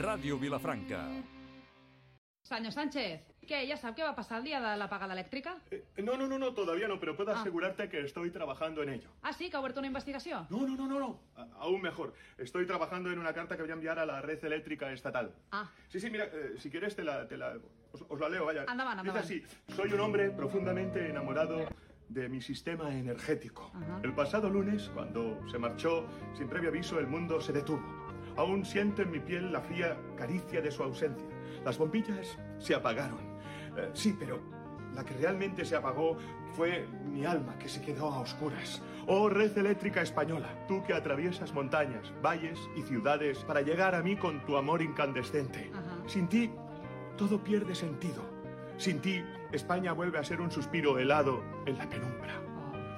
Ràdio Vilafranca. Señor Sánchez, ¿qué? ¿Ya sabe qué va a pasar el día de la apagada eléctrica? No, todavía no, pero puedo asegurarte que estoy trabajando en ello. Ah, sí, que ha abierto una investigación. No. Aún mejor. Estoy trabajando en una carta que voy a enviar a la red eléctrica estatal. Ah. Sí, mira, si quieres os la leo, vaya. Anda. Dice así: soy un hombre profundamente enamorado de mi sistema energético. Ajá. El pasado lunes, cuando se marchó sin previo aviso, el mundo se detuvo. Aún siento en mi piel la fría caricia de su ausencia. Las bombillas se apagaron. Sí, pero la que realmente se apagó fue mi alma, que se quedó a oscuras. Oh, red eléctrica española, tú que atraviesas montañas, valles y ciudades para llegar a mí con tu amor incandescente. Ajá. Sin ti, todo pierde sentido. Sin ti, España vuelve a ser un suspiro helado en la penumbra.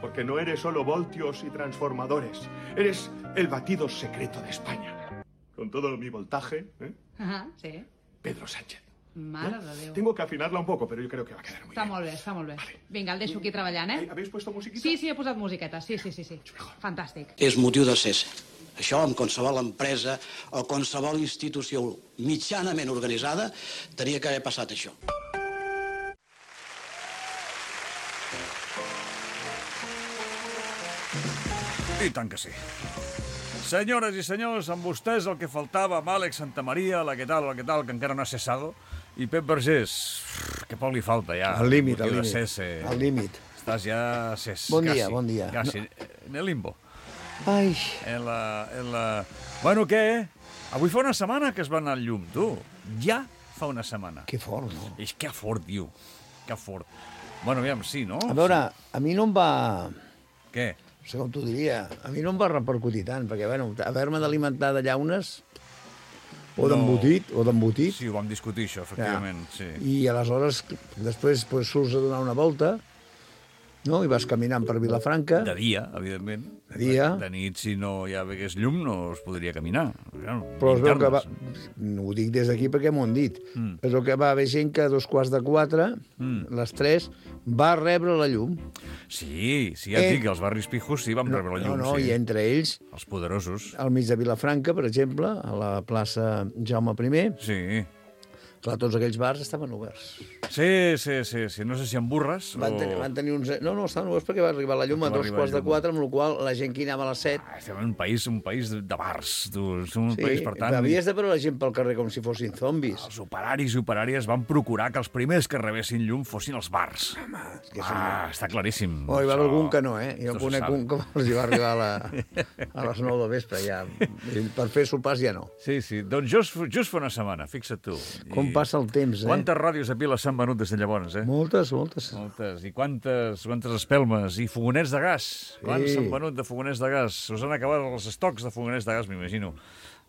Porque no eres solo voltios y transformadores. Eres el batido secreto de España. Con todo mi voltaje, Ajá, sí. Pedro Sánchez. Mare de Déu. Tengo que afinarla un poco, pero yo creo que va a quedar muy Està bien. molt bé, està molt bé. Vale. Vinga, el deixo aquí treballant, eh? ¿Habéis puesto musiquita? Sí, he posat musiqueta, sí. Fantàstic. És motiu de cessa. Això, amb qualsevol empresa o qualsevol institució mitjanament organitzada, tenia que haver passat això. I tant que sí. Senyores i senyors, amb vostès el que faltava, amb Àlex Santamaria, la que tal, que encara no ha cessado, i Pep Vergés, que poc li falta ja. Al límit, motiu al de límit. cese. Al límit. Estàs ja ses. Bon dia, quasi, bon dia. Quasi, en el limbo. Ai, En la... Bueno, què? Avui fa una setmana que es va anar al llum, tu. Ja fa una setmana. que fort, no? És que fort, diu. Que fort. Bueno, aviam, sí, no? A veure, a mi no em va... Què? No sé com t'ho diria. A mi no em va repercutir tant, perquè, bueno, haver-me d'alimentar de llaunes o d'embotit, Sí, ho vam discutir, això, efectivament, sí. i aleshores després pues, surts a donar una volta, no? I vas caminant per Vilafranca. De dia, evidentment. De dia. De nit, si no hi hagués llum, no es podria caminar. Però es veu que va... No ho dic des d'aquí perquè m'ho han dit. Es veu que va haver gent que a 3:15, les 3, va rebre la llum. Sí, ja et dic, els barris pijos sí vam rebre la llum, No, sí. i entre ells, Els poderosos. al mig de Vilafranca, per exemple, a la plaça Jaume I, Sí. clar, tots aquells bars estaven oberts. Sí. No sé si amb burres Van tenir uns... No, estaven oberts perquè va arribar la llum a Va arribar la llum. 3:15, amb la qual cosa la gent que hi anava a les 7... Estem en un país de bars, tu. Som un país, per tant... havies de veure la gent pel carrer com si fossin zombis. Els operaris i operàries van procurar que els primers que rebessin llum fossin els bars. És que Està claríssim. Oh, hi va haver Això. algun que no, eh? Jo Això se conec sabe. un que els hi va arribar a les 9 del vespre, ja. Per fer sopars ja no. Sí, doncs just fa una setmana, fixa't tu. Com passa el temps, eh? Quantes ràdios a Pila s'han venut des de llavors, eh? Moltes. Moltes. I quantes espelmes. I fogonets de gas. Quants s'han venut de fogonets de gas? Us han acabat els estocs de fogonets de gas, m'imagino.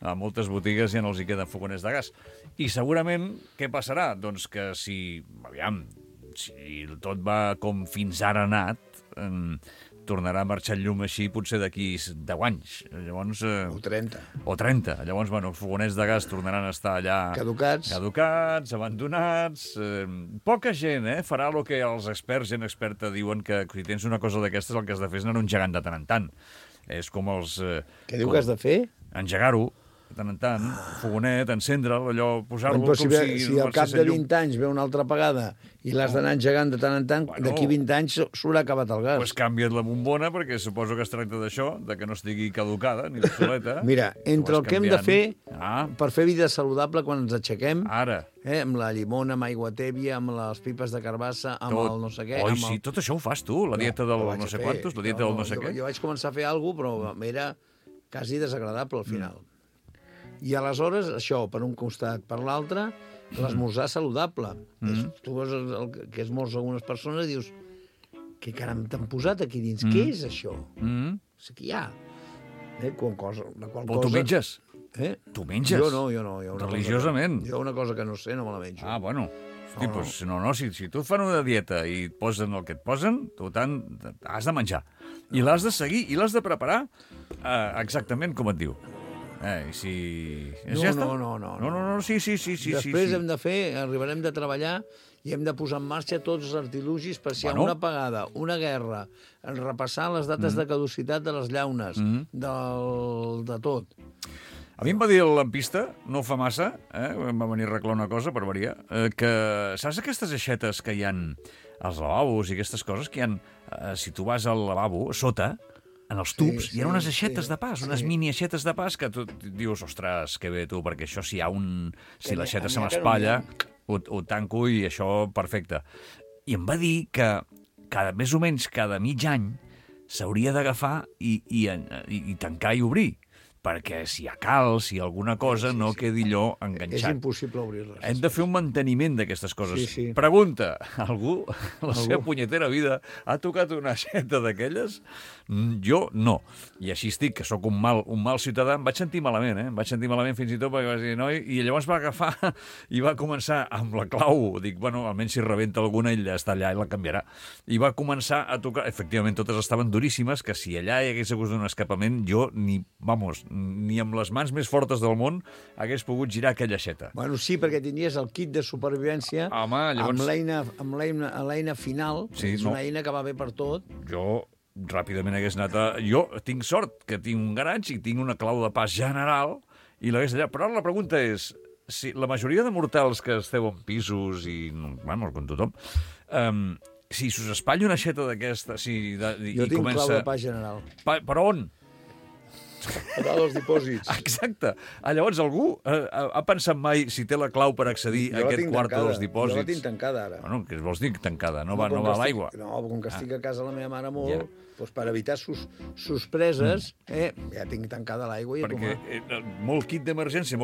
A moltes botigues ja no els hi queden fogonets de gas. I segurament, què passarà? Doncs que si tot va com fins ara ha anat, tornarà a marxar el llum així potser d'aquí 10 anys. Llavors, O 30. o 30. Llavors, els fogonets de gas tornaran a estar allà... Caducats, abandonats... Poca gent, farà el que els experts, gent experta, diuen que si tens una cosa d'aquestes el que has de fer és anar engegant de tant en tant. És com els... què diu que has de fer? Engegar-ho, de tant en tant, fogonet, encendre'l, allò, posar-lo Però com si al cap de 20 anys ve una altra apagada i l'has d'anar engegant de tant en tant, d'aquí 20 anys s'haurà acabat el gas. Pues canvia't la bombona, perquè suposo que es tracta d'això, de que no estigui caducada ni obsoleta. Mira, entre el que hem de fer per fer vida saludable quan ens aixequem, Ara. amb la llimona, amb aigua tèbia, amb les pipes de carbassa, amb el no sé què... Oi, sí, tot això ho fas tu, la dieta del no sé quantos, la dieta del no sé què. Jo vaig començar a fer alguna cosa, però era quasi desagradable al final. I aleshores, això, per un costat, per l'altre, l'esmorzar saludable. Tu veus el que esmorza algunes persones i dius, què caram t'han posat aquí dins? Què és això? No sé què hi ha. La qual cosa... Però tu menges? Tu menges? Jo no. Religiosament? Jo una cosa que no sé, no me la menjo. Ah, bueno. Hosti, doncs, si tu et fan una dieta i et posen el que et posen, tu has de menjar. I l'has de seguir, i l'has de preparar exactament com et diu. I si... Ja està? No, sí. Després hem de fer, arribarem de treballar i hem de posar en marxa tots els artilugis per si hi ha una apagada, una guerra, repassar les dates de caducitat de les llaunes, de tot. A mi em va dir el lampista, no fa massa, em va venir a arreglar una cosa, per variar, que saps aquestes aixetes que hi han als lavabos i aquestes coses que hi han, si tu vas al lavabo, sota, en els tubs, hi ha unes aixetes de pas, unes mini aixetes de pas que tu dius, ostres, que bé tu, perquè això si l'aixeta se m'espatlla, ho tanco i això perfecte. I em va dir que més o menys cada mig any s'hauria d'agafar i tancar i obrir, perquè si hi ha calç, si hi ha alguna cosa, no quedi allò enganxat. És impossible obrir-les. Hem de fer un manteniment d'aquestes coses. Sí. Pregunta, algú, la seva punyetera vida, ha tocat una aixeta d'aquelles? Jo no. I així estic, que sóc un mal ciutadà. Em vaig sentir malament, Em vaig sentir malament fins i tot perquè vaig dir, noi, i llavors va agafar i va començar amb la clau. Dic, bueno, almenys si rebenta alguna, ella està allà i la canviarà. I va començar a tocar. Efectivament, totes estaven duríssimes, que si allà hi hagués hagut un escapament, jo ni amb les mans més fortes del món hagués pogut girar aquella aixeta. Bueno, sí, perquè tindries el kit de supervivència amb l'eina final, és una eina que va bé per tot. Jo ràpidament hagués anat Jo tinc sort que tinc un garatge i tinc una clau de pas general i l'hagués allà. Però ara la pregunta és, si la majoria de mortals que esteu en pisos i, bueno, com tothom, si us espatlla una aixeta d'aquesta... Jo tinc clau de pas general. Per on? A dalt dels dipòsits. Exacte. Llavors, algú ha pensat mai si té la clau per accedir a aquest quart dels dipòsits? Jo la tinc tancada, ara. Bueno, què vols dir tancada? No va a l'aigua? No, com que estic a casa la meva mare molt, doncs per evitar sorpreses, ja tinc tancada l'aigua i a tomar. Perquè molt kit d'emergència,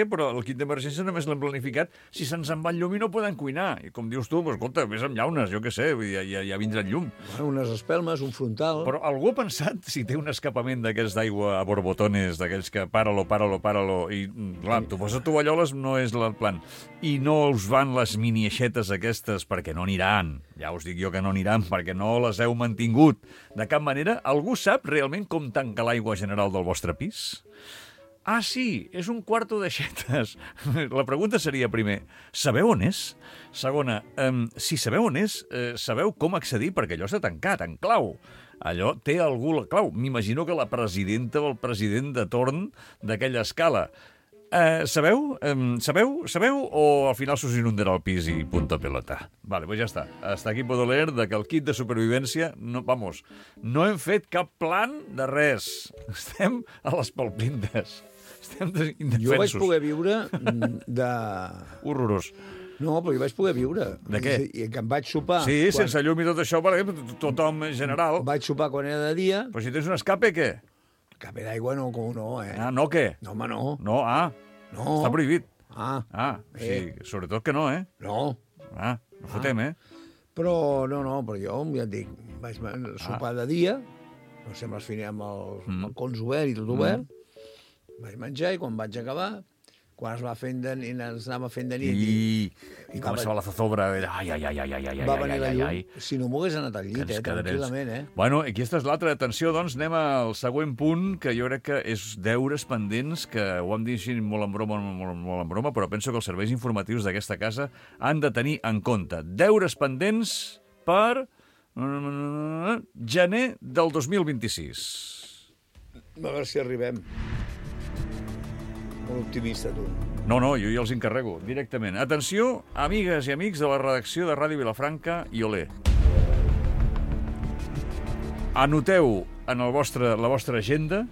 però el kit d'emergència només l'hem planificat si se'ns en va el llum i no podem cuinar. I com dius tu, escolta, vés amb llaunes, jo què sé, ja vindrà el llum. Bueno, unes espelmes, un frontal... Però algú ha pensat si té un escapament d'aquests d'aigua a borbotones, d'aquells que páralo, i clar, tu poses tovalloles no és el plan. I no us van les mini aixetes aquestes perquè no aniran. Ja us dic jo que no aniran perquè no les heu mantingut de cap manera. Algú sap realment com tancar l'aigua general del vostre pis? Ah, sí, és un quarto d'aixetes. La pregunta seria, primer, sabeu on és? Segona, si sabeu on és, sabeu com accedir perquè allò està tancat, en clau. Allò té algú la clau. M'imagino que la presidenta o el president de torn d'aquella escala. Sabeu? O al final s'us inundarà el pis i punto pelota? Vale, pues ja està. Hasta aquí puedo leer de que el kit de supervivència, no hem fet cap plan de res. Estem a les palpintes. Estem indefensos. Jo vaig poder viure de... Horrorós. No, però jo vaig poder viure. De què? I que em vaig sopar... Sí, sense llum i tot això, tothom en general. Vaig sopar quan era de dia... Però si tens un escape, què? Escape d'aigua no, com no, Ah, no, què? No, home, no. No, No. Està prohibit. Sí, sobretot que no, No. No fotem, Però, però jo, ja et dic, vaig sopar de dia, no sé, amb el balcons obert i tot obert, vaig menjar i quan vaig acabar, quan ens anava fent de nit... I començava la zozobra. Ai. Va venir la llum. Si no m'ho hagués anat al llit, tranquil·lament, Bueno, aquí aquesta és l'altra. Atenció, doncs, anem al següent punt, que jo crec que és deures pendents, que ho hem dit així molt en broma, però penso que els serveis informatius d'aquesta casa han de tenir en compte. Deures pendents per gener del 2026. A veure si arribem. Molt optimista, tu. No, jo ja els encarrego, directament. Atenció, amigues i amics de la redacció de Ràdio Vilafranca i Olé. Anoteu en la vostra agenda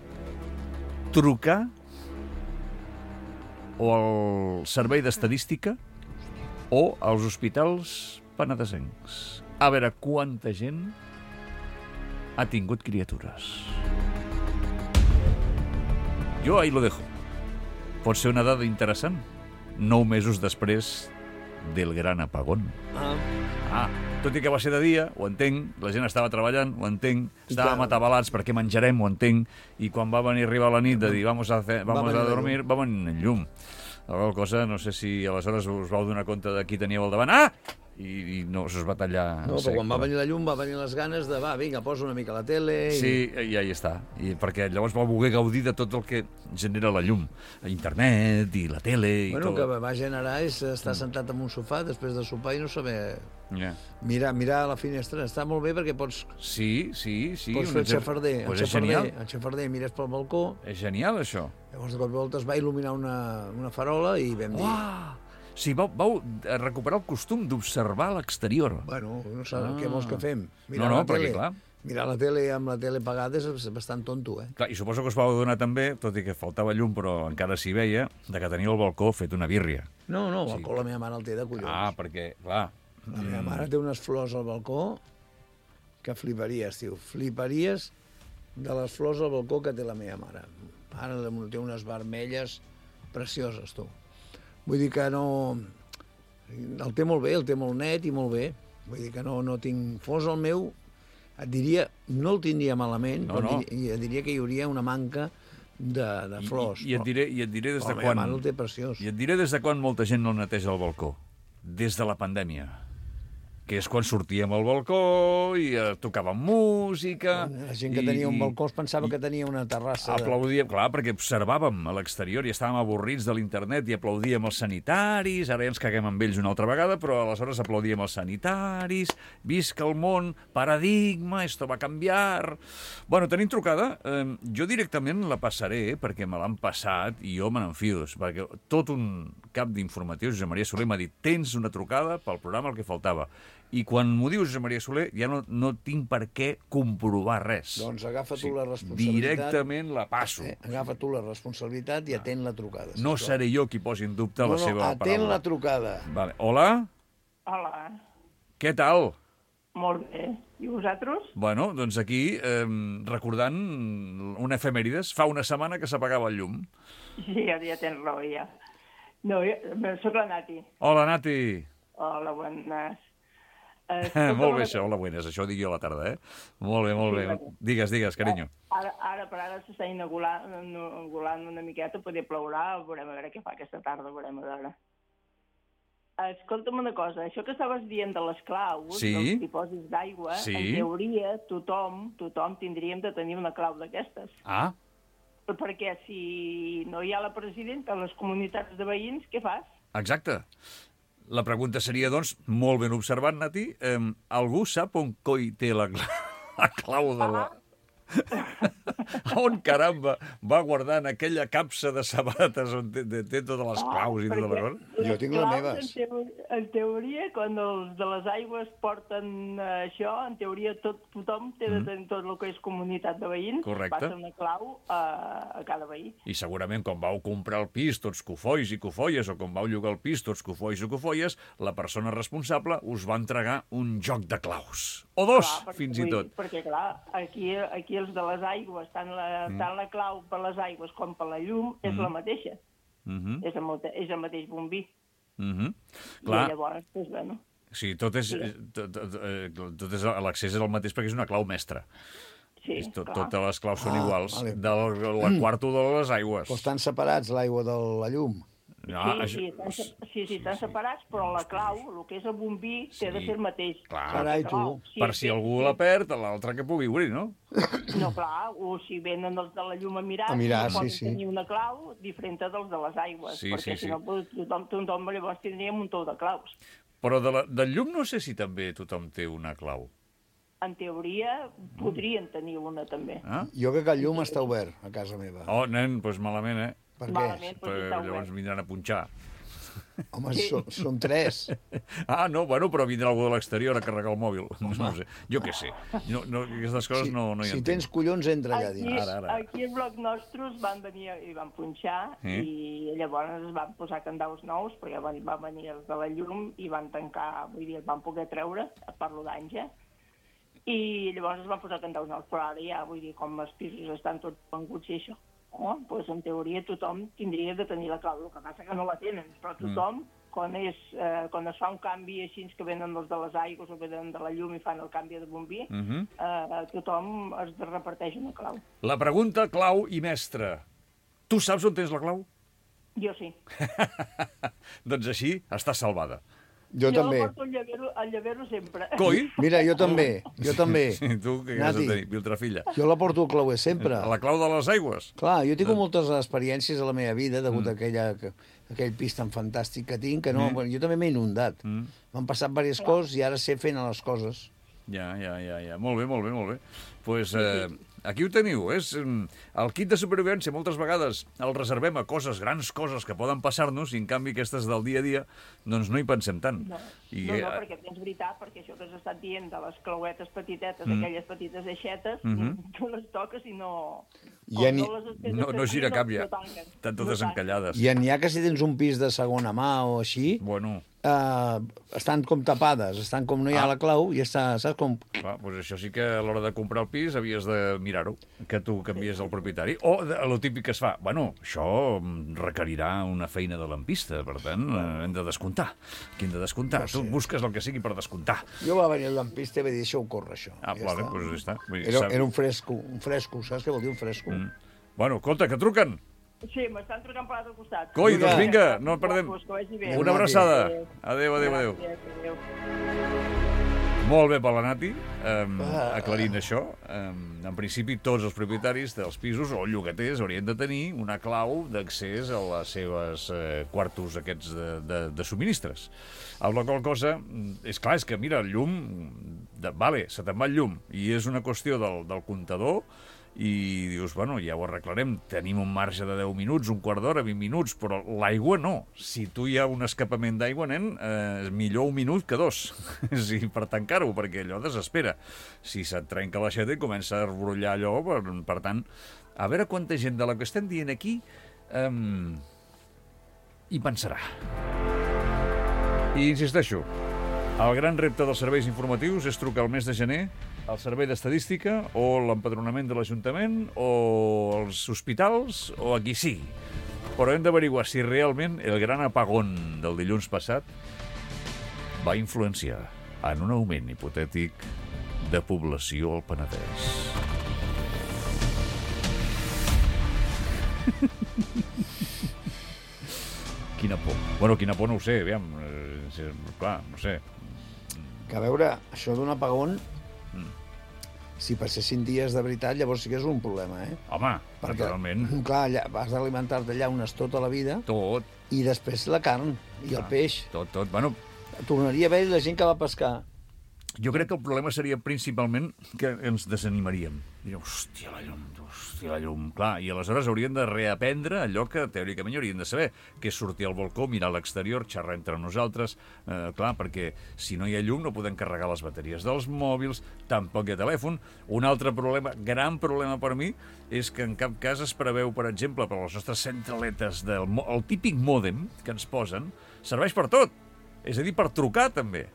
trucar o al servei d'estadística o als hospitals penedesencs. A veure quanta gent ha tingut criatures. Jo ahí lo dejo. Pot ser una dada interessant. 9 mesos després del gran apagón. Tot i que va ser de dia, ho entenc, la gent estava treballant, ho entenc, estàvem atabalats perquè menjarem, ho entenc, i quan va venir a arribar la nit de dir vamos a dormir, va venir el llum. La qual cosa, no sé si aleshores us vau donar compte de qui teníeu al davant. i no, això es va tallar... No, però quan va venir la llum va venir les ganes de, vinga, posa una mica la tele... Sí, i ahí està. Perquè llavors va voler gaudir de tot el que genera la llum. Internet i la tele... Bueno, i tot. el que va generar és estar sentat en un sofà després de sopar i no saber... Yeah. Mirar a la finestra. Està molt bé perquè pots Sí. fer el xafarder. Pues és genial. El xafarder, mires pel balcó, És genial, això. llavors de cop i volta es va il·luminar una farola i vam dir... Sí, vau recuperar el costum d'observar l'exterior. Bueno, no sé, què vols que fem? No, perquè clar... Mirar la tele amb la tele apagada és bastant tonto, eh? Clar, i suposo que us vau adonar també, tot i que faltava llum, però encara s'hi veia, de que tenia el balcó fet una bírria. No, el balcó la meva mare el té de collons. Perquè, clar... La meva mare té unes flors al balcó que fliparies, tio. Fliparies de les flors al balcó que té la meva mare. Ara té unes vermelles precioses, tu. Vull dir que no... El té molt bé, el té molt net i molt bé. Vull dir que no tinc... Fos el meu, et diria, no el tindria malament, però et diria que hi hauria una manca de flors. I et diré des de quan... La meva mare el té preciós. I et diré des de quan molta gent no neteja el balcó. Des de la pandèmia. Que és quan sortíem al balcó i tocàvem música... La gent que tenia un balcó es pensava que tenia una terrassa. Aplaudíem, clar, perquè observàvem a l'exterior i estàvem avorrits de l'internet i aplaudíem els sanitaris, ara ja ens caguem amb ells una altra vegada, però aleshores aplaudíem els sanitaris, visca el món, paradigma, esto va canviar... Bueno, tenim trucada, jo directament la passaré perquè me l'han passat i jo me n'enfio, perquè tot un cap d'informatius, Josep Maria Soler m'ha dit tens una trucada pel programa el que faltava. I quan m'ho diu Josep Maria Soler ja no tinc per què comprovar res. Doncs agafa tu la responsabilitat. Directament la passo. Agafa tu la responsabilitat i atén la trucada. No seré jo qui posi en dubte la seva paraula. Atén la trucada. Vale. Hola? Hola. Què tal? Molt bé. I vosaltres? Bueno, doncs aquí, recordant una efemèrides, fa una setmana que s'apagava el llum. Sí, ja tens raó, ja. No, soc la Nati. Hola, Nati. Hola, bones. Molt bé, això, hola, buenas. Això ho dic jo a la tarda, eh? Molt bé. Digues, carinyo. Ara per ara s'està inaugurant una miqueta, poder plourà, veurem a veure què fa aquesta tarda, veurem a veure. Escolta'm una cosa, això que estaves dient de les claus, dels dipòsits d'aigua, en teoria tothom tindríem de tenir una clau d'aquestes. Ah. Perquè si no hi ha la presidenta a les comunitats de veïns, què fas? Exacte. La pregunta seria, doncs, molt ben observat, Nati, algú sap on coi té la clau de la... On, caramba, va guardant aquella capsa de sabates on té totes les claus i tota la cosa? Jo tinc les meves. En teoria, quan els de les aigües porten això, en teoria tothom té de tenir tot el que és comunitat de veïns. Correcte. Passa una clau a cada veí. I segurament quan vau comprar el pis tots cofois i cofolles, o quan vau llogar el pis tots cofois i cofolles, la persona responsable us va entregar un joc de claus. O dos, fins i tot. Perquè, clar, aquí els de les aigües, tant la clau per les aigües com per la llum, és la mateixa. És el mateix bombí. I llavors, doncs, bueno... Sí, l'accés és el mateix perquè és una clau mestra. Sí, totes les claus són iguals, de la quarta de les aigües. Però estan separats l'aigua de la llum. Sí, estan separats, però la clau, el que és el bombí, té de ser el mateix. Carai, tu. Per si algú la perd, l'altre que pugui obrir, no? No, clar, o si venen els de la llum a mirar poden tenir una clau diferent dels de les aigües, perquè si no tothom llavors tindria un muntó de claus. Però del llum no sé si també tothom té una clau. En teoria, podrien tenir una, també. Jo crec que el llum està obert a casa meva. Oh, nen, doncs malament, eh? Per què? Perquè llavors vindran a punxar. Home, són 3. No, bueno, però vindrà algú de l'exterior a carregar el mòbil. No sé, jo què sé. Aquestes coses no hi entenc. Si tens collons, entra allà dins. Aquí al bloc nostres van venir i van punxar i llavors es van posar candaus nous perquè van venir els de la llum i van tancar, vull dir, van poder treure, parlo d'anys, i llavors es van posar candaus nous, però ara ja, vull dir, com els pisos estan tots venguts i això, doncs en teoria tothom tindria de tenir la clau, el que passa que no la tenen, però tothom, quan es fa un canvi així que venen els de les aigües o venen de la llum i fan el canvi de bombí, tothom es reparteix una clau. La pregunta clau i mestra. Tu saps on tens la clau? Jo sí. Doncs així està salvada. Jo també. Jo porto el llavero sempre. Coi? Mira, jo també. Sí, tu què has de tenir, Viltrafilla? Jo la porto al clauer sempre. La clau de les aigües? Clar, jo tinc moltes experiències a la meva vida degut a aquell pis tan fantàstic que tinc, que no, jo també m'he inundat. M'han passat diverses coses i ara sé fer les coses. Ja. Molt bé. Pues, aquí ho teniu, és el kit de supervivència. Moltes vegades el reservem a coses, grans coses que poden passar-nos, i en canvi aquestes del dia a dia doncs no hi pensem tant. No, perquè és veritat, perquè això que has estat dient de les clauetes petitetes, aquelles petites aixetes, tu les toques i no... No gira cap ja, estan totes encallades. I n'hi ha que si tens un pis de segona mà o així... Bueno... estan com tapades, estan com no hi ha la clau i està, saps com... Clar, doncs això sí que a l'hora de comprar el pis havies de mirar-ho, que tu canvies el propietari. O el típic que es fa, bueno, això requerirà una feina de lampista, per tant, hem de descomptar. Aquí hem de descomptar. No sé. Tu busques el que sigui per descomptar. Jo va venir el lampista i va dir, deixa-ho córrer, això. Vale, doncs ja està. Era un fresco, saps què vol dir un fresco? Bueno, escolta, que truquen. Sí, m'estan trucant per l'altre costat. Coi, doncs vinga, no perdem. Una abraçada. Adéu. Molt bé per la Nati, aclarint això. En principi, tots els propietaris dels pisos o llogaters haurien de tenir una clau d'accés a les seves quartos aquests de subministres. Amb la qual cosa, és clar, és que mira, el llum, vale, se te'n va el llum, i és una qüestió del comptador, i dius, bueno, ja ho arreglarem, tenim un marge de 10 minuts, un quart d'hora, 20 minuts, però l'aigua no. Si tu hi ha un escapament d'aigua, nen, millor un minut que dos, sí, per tancar-ho, perquè allò desespera. Si se't trenca l'aixeta i comença a brollar allò, per tant, a veure quanta gent de la que estem dient aquí hi pensarà. I insisteixo, el gran repte dels serveis informatius és trucar el mes de gener al servei d'estadística o l'empadronament de l'Ajuntament o els hospitals o a qui sigui. Però hem d'averiguar si realment el gran apagón del dilluns passat va influenciar en un augment hipotètic de població al Penedès. Quina por. Bueno, quina por no ho sé, aviam. Clar, no sé. Que a veure, això d'un apagón, si passessin dies de veritat, llavors sí que és un problema, eh? Home, naturalment. Clar, vas alimentar-te llaunes tota la vida. Tot. I després la carn i el peix. Tot. Bueno, tornaria a haver la gent que va pescar. Jo crec que el problema seria principalment que ens desanimaríem. Diríem, hòstia, la llum. Clar, i aleshores haurien de reaprendre allò que teòricament haurien de saber, que és sortir al balcó, mirar a l'exterior, xerrar entre nosaltres. Clar, perquè si no hi ha llum no podem carregar les bateries dels mòbils, tampoc hi ha telèfon. Un altre problema, gran problema per mi, és que en cap cas es preveu, per exemple, per les nostres centraletes, el típic mòdem que ens posen, serveix per tot. És a dir, per trucar també.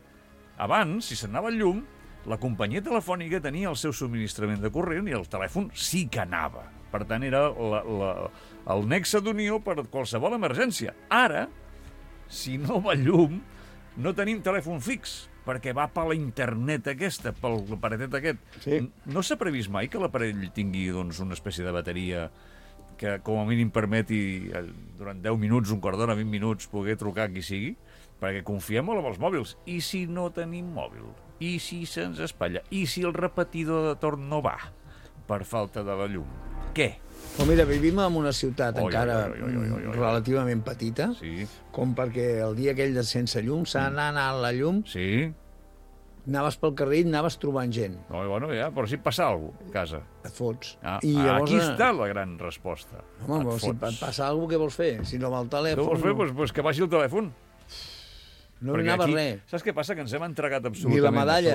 Abans, si s'anava el llum, la companyia telefònica tenia el seu subministrament de corrent i el telèfon sí que anava. Per tant, era el nexe d'unió per qualsevol emergència. Ara, si no va llum, no tenim telèfon fix, perquè va per la internet aquesta, pel aparatet aquest. Sí. No s'ha previst mai que l'aparell tingui una espècie de bateria que com a mínim permeti durant 10 minuts, un quart d'hora, 20 minuts, poder trucar a qui sigui? Perquè confiem molt en els mòbils. I si no tenim mòbil? I si se'ns espatlla? I si el repetidor de torn no va per falta de la llum? Què? Però mira, vivim en una ciutat encara relativament petita, com perquè el dia aquell de sense llum s'ha anat a la llum, anaves pel carrer i anaves trobant gent. Bueno, ja, però si et passa alguna cosa a casa. Et fots. I llavors, aquí està la gran resposta. Home, però si et passa alguna cosa, què vols fer? Si no va el telèfon... Què vols fer? Doncs que baixi el telèfon. No anava res. Saps què passa? Que ens hem entregat absolutament ni la medalla,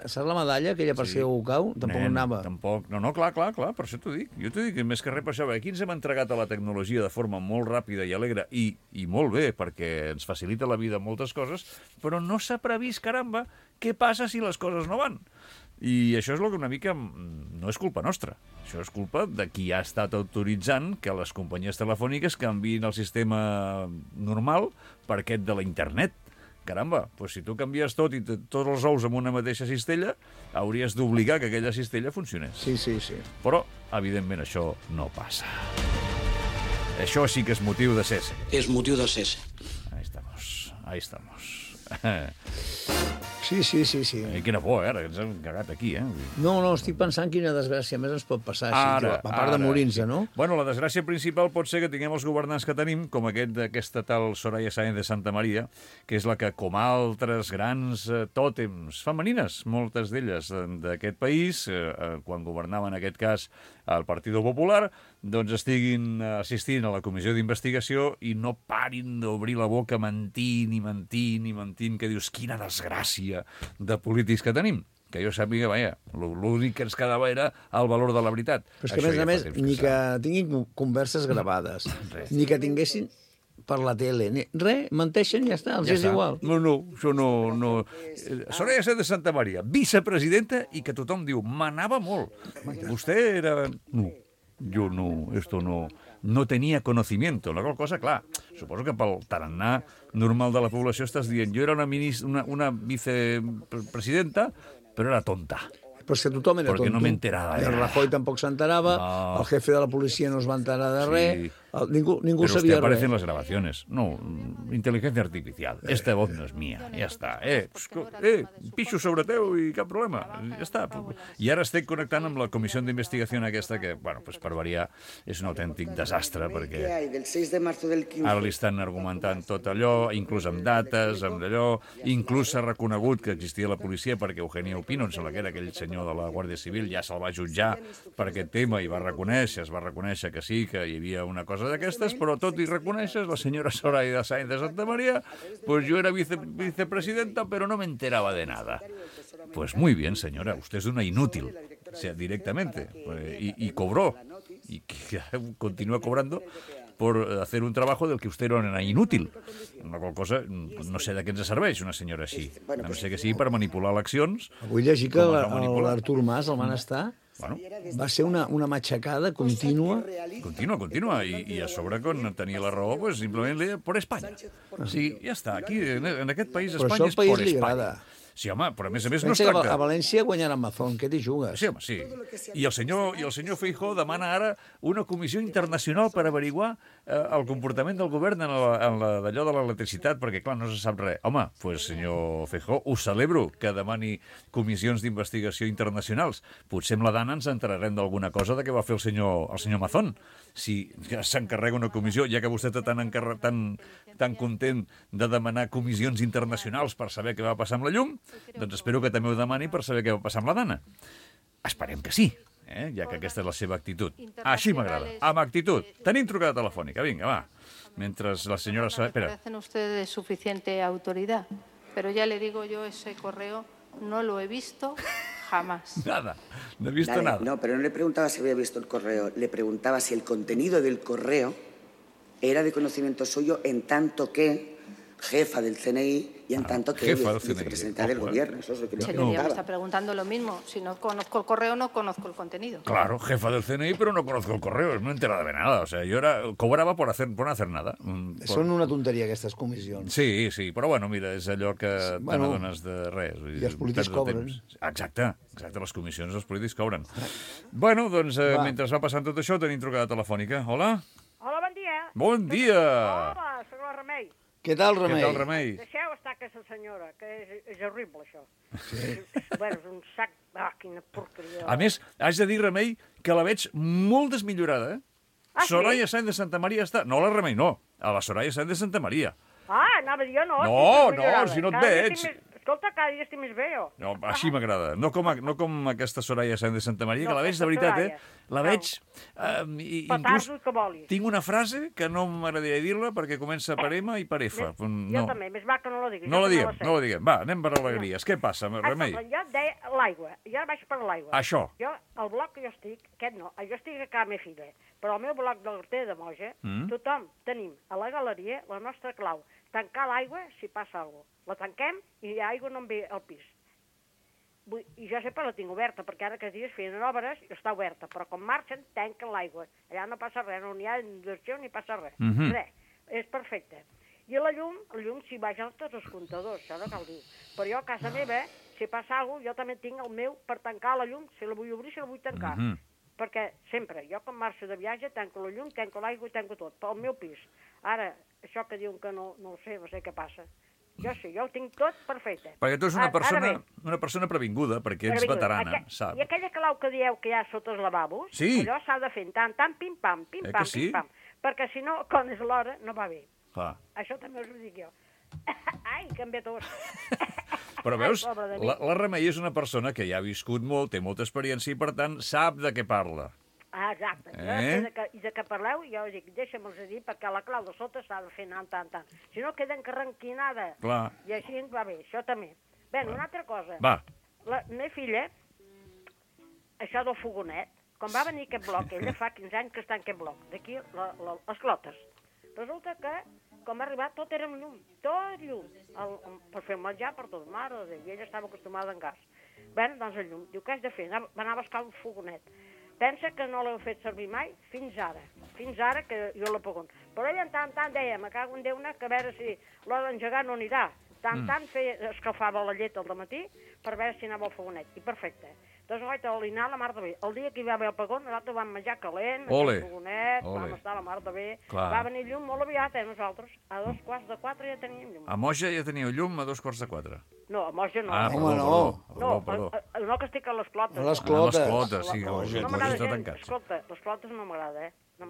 saps la medalla, aquella per si algú cau? Tampoc anava. Tampoc. No, clar, per això t'ho dic. Jo t'ho dic, més que res per això. Aquí ens hem entregat a la tecnologia de forma molt ràpida i alegre i molt bé, perquè ens facilita la vida moltes coses, però no s'ha previst, caramba, què passa si les coses no van. I això és el que una mica no és culpa nostra. Això és culpa de qui ha estat autoritzant que les companyies telefòniques canviïn el sistema normal per aquest de la internet. Caramba, doncs si tu canvies tot i tots els ous amb una mateixa cistella, hauries d'obligar que aquella cistella funcionés. Sí. Però, evidentment, això no passa. Això sí que és motiu de cese. És motiu de cese. Ahí estamos. Sí. Quina por, ara, que ens hem cagat aquí, No, estic pensant quina desgràcia més ens pot passar, així, a part de morir-nos, no? Bueno, la desgràcia principal pot ser que tinguem els governants que tenim, com aquesta tal Soraya Sáenz de Santa Maria, que és la que, com altres grans tòtems femenines, moltes d'elles d'aquest país, quan governava en aquest cas el Partit Popular, doncs estiguin assistint a la comissió d'investigació i no parin d'obrir la boca mentint, que dius, quina desgràcia de polítics que tenim. Que jo sàpiga, vaja, l'únic que ens quedava era el valor de la veritat. Però és que, a més, ni que tinguin converses gravades, ni que tinguessin per la tele, res, menteixen i ja està, els és igual. No, això no. Soraya Sáenz de Santa Maria, vicepresidenta, i que tothom diu, manava molt. Vostè era... No, jo no, esto no tenia conocimiento. La qual cosa, clar, suposo que pel tarannà normal de la població estàs dient, jo era una vicepresidenta, però era tonta. Però és que tothom era tonto. Perquè no m'enterava. El Rajoy tampoc s'enterava, el jefe de la policia no es va enterar de res, ningú sabia res. Pero usted aparece en las grabaciones. No, inteligencia artificial. Esta voz no és mía. Ja està. Pixo sobre teu i cap problema. Ja està. I ara estic connectant amb la comissió d'investigació aquesta que, bueno, pues per variar, és un autèntic desastre, perquè ara li estan argumentant tot allò, inclús amb dates, amb allò, inclús s'ha reconegut que existia la policia perquè Eugenio Pino, em sembla que era aquell senyor de la Guàrdia Civil, ja se'l va jutjar per aquest tema i es va reconèixer que sí, que hi havia una cosa d'aquestes, però tot i reconeixes, la senyora Soraya Sáenz de Santa María, pues yo era vicepresidenta, pero no me enteraba de nada. Pues muy bien, señora, usted es una inútil, o sea, directamente, y cobró, y continúa cobrando por hacer un trabajo del que usted era una inútil. Una qual cosa, no sé de què ens serveix una senyora així. A no ser que sigui per manipular eleccions. Avui llegir que l'Artur Mas, el Manestà, va ser una matxacada contínua. Contínua. I a sobre, quan tenia la raó, pues, simplement li deia por Espanya. O sigui, ja està. Aquí, en aquest país, Espanya és por Espanya. Sí, home, però a més no es tracta... A València guanyarà Mazón, què t'hi jugues? Sí, home, sí. I el senyor Feijóo demana ara una comissió internacional per averiguar el comportament del govern en d'allò de l'electricitat, perquè, clar, no se sap res. Home, doncs, senyor Feijóo, us celebro que demani comissions d'investigació internacionals. Potser amb la Dana ens enterarem d'alguna cosa de què va fer el senyor Mazón. Si s'encarrega una comissió, ja que vostè està tan content de demanar comissions internacionals per saber què va passar amb la llum, doncs espero que també ho demani per saber què va passar amb la Dana. Esperem que sí, ja que aquesta és la seva actitud. Així m'agrada, amb actitud. Tenim trucada telefònica, vinga, va. Mentre la senyora... Espera. Parecen ustedes de suficiente autoridad, pero ya le digo yo, ese correo no lo he visto jamás. Nada, no he visto nada. No, pero no le preguntaba si había visto el correo, le preguntaba si el contenido del correo era de conocimiento suyo en tanto que jefa del CNI y en tanto que vicepresidenta del gobierno. Eso es lo que le preguntaba. Me está preguntando lo mismo. Si no conozco el correo, no conozco el contenido. Claro, jefa del CNI, pero no conozco el correo. No he enterado de nada. O sea, yo cobraba por no hacer nada. Són una tonteria, aquestes comissions. Sí, però bueno, mira, és allò que te n'adones de res. I els polítics cobren. Exacte, les comissions els polítics cobren. Bueno, doncs, mentre va passant tot això, tenim trucada telefònica. Hola? Hola, bon dia. Bon dia. Hola, soc la Remei. Què tal, Remei? Deixeu estar aquesta senyora, que és horrible, això. Sí. Bueno, és un sac... quina porqueria. A més, haig de dir, Remei, que la veig molt desmillorada, Soraya Sáenz de Santa Maria està... No, la Remei, no. A la Soraya Sáenz de Santa Maria. Anava a dir jo no. No, si no et veig. Escolta, cada dia estic més bé, jo. No, així m'agrada. No com aquesta Soraya Sáenz de Santa Maria, que la veig, de veritat, La veig... Inclús tinc una frase que no m'agradaria dir-la perquè comença per M i per F. Jo també, més va que no la diguis. No la diguem. Va, anem per alegries. Què passa, Remei? Jo deia l'aigua. Jo vaig per l'aigua. Això. Jo, el bloc que jo estic, aquest no, jo estic a casa meva filla, però el meu bloc de l'Horter de Moja, tothom tenim a la galeria la nostra clau. Tancar l'aigua si passa alguna cosa. La tanquem i l'aigua no em ve al pis. I jo sempre la tinc oberta, perquè ara aquests dies feien obres i està oberta, però quan marxen tanquen l'aigua. Allà no passa res, no hi ha inundació ni passa res. Res, és perfecte. I la llum s'hi baixen tots els comptadors, això no cal dir. Però jo a casa meva, si passa alguna cosa, jo també tinc el meu per tancar la llum, si la vull obrir, si la vull tancar. Perquè sempre, jo quan marxo de viatge, tanco la llum, tanco l'aigua i tanco tot, pel meu pis. Ara, això que diuen que no ho sé, no sé què passa. jo ho tinc tot perfecte. Perquè tu ets una persona previnguda, perquè ets veterana, saps? I aquella clau que dieu que hi ha sota els lavabos, allò s'ha de fer tant, pim-pam, pim-pam, pim-pam, perquè si no, quan és l'hora, no va bé. Això també us ho dic jo. Ai, que em ve tos. Però veus, la Remei és una persona que ja ha viscut molt, té molta experiència i, per tant, sap de què parla. Exacte. I de què parleu, jo us dic, deixa'm-los dir, perquè la clau de sota s'ha de fer tant. Si no, queda encarranquinada. Clar. I així va bé, això també. Bé, una altra cosa. Va. La meva filla, això del fogonet, quan va venir aquest bloc, ella fa 15 anys que està en aquest bloc, d'aquí les clotes. Resulta que, quan va arribar, tot era amb llum, tot llum, per fer menjar per tot, mare de Déu, i ella estava acostumada en gas. Bé, doncs el llum, diu, què has de fer? Va anar a buscar un fogonet. Pensa que no l'heu fet servir mai fins ara que jo l'apagón. Però ella en tant deia, me cago en Déu, que a veure si l'hora d'engegar no anirà. Tant escalfava la llet al matí per veure si anava al fogonet. I perfecte. Doncs vaig alinear la mar de bé. El dia que hi va haver el pagón, nosaltres vam menjar calent, el fogonet, vam estar a la mar de bé. Va venir llum molt aviat, nosaltres. A 3:45 ja teníem llum. A Moja ja teníeu llum a 3:45? No, a Moja no. Perdó. No, que estic a les clotes. A les clotes. A les clotes, sí. No m'agrada gens. Escolta, les clotes no m'agrada, No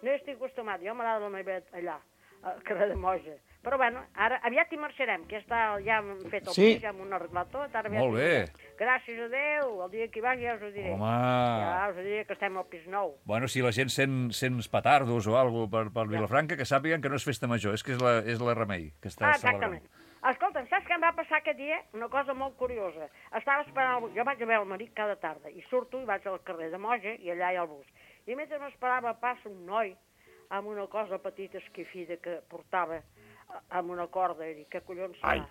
hi estic acostumat. Jo m'agrada la meva allà, al carrer de Moja. Però bueno, ara aviat hi marxarem, que ja hem fet el pis, ja hem arreglat tot. Molt bé. Gràcies a Déu, el dia que hi vagi ja us ho diré. Home! Ja us diré que estem al pis nou. Bueno, si la gent sent petardos o alguna cosa per Vilafranca, que sàpiguen que no és festa major, és que és la Remei que està celebrant. Exactament. Escolta'm, saps què em va passar aquest dia? Una cosa molt curiosa. Estava esperant... Jo vaig a veure el marit cada tarda i surto i vaig al carrer de Moja i allà hi ha el bus. I mentre m'esperava passa un noi amb una cosa petita esquifida que portava amb una corda, i dic, què collons serà?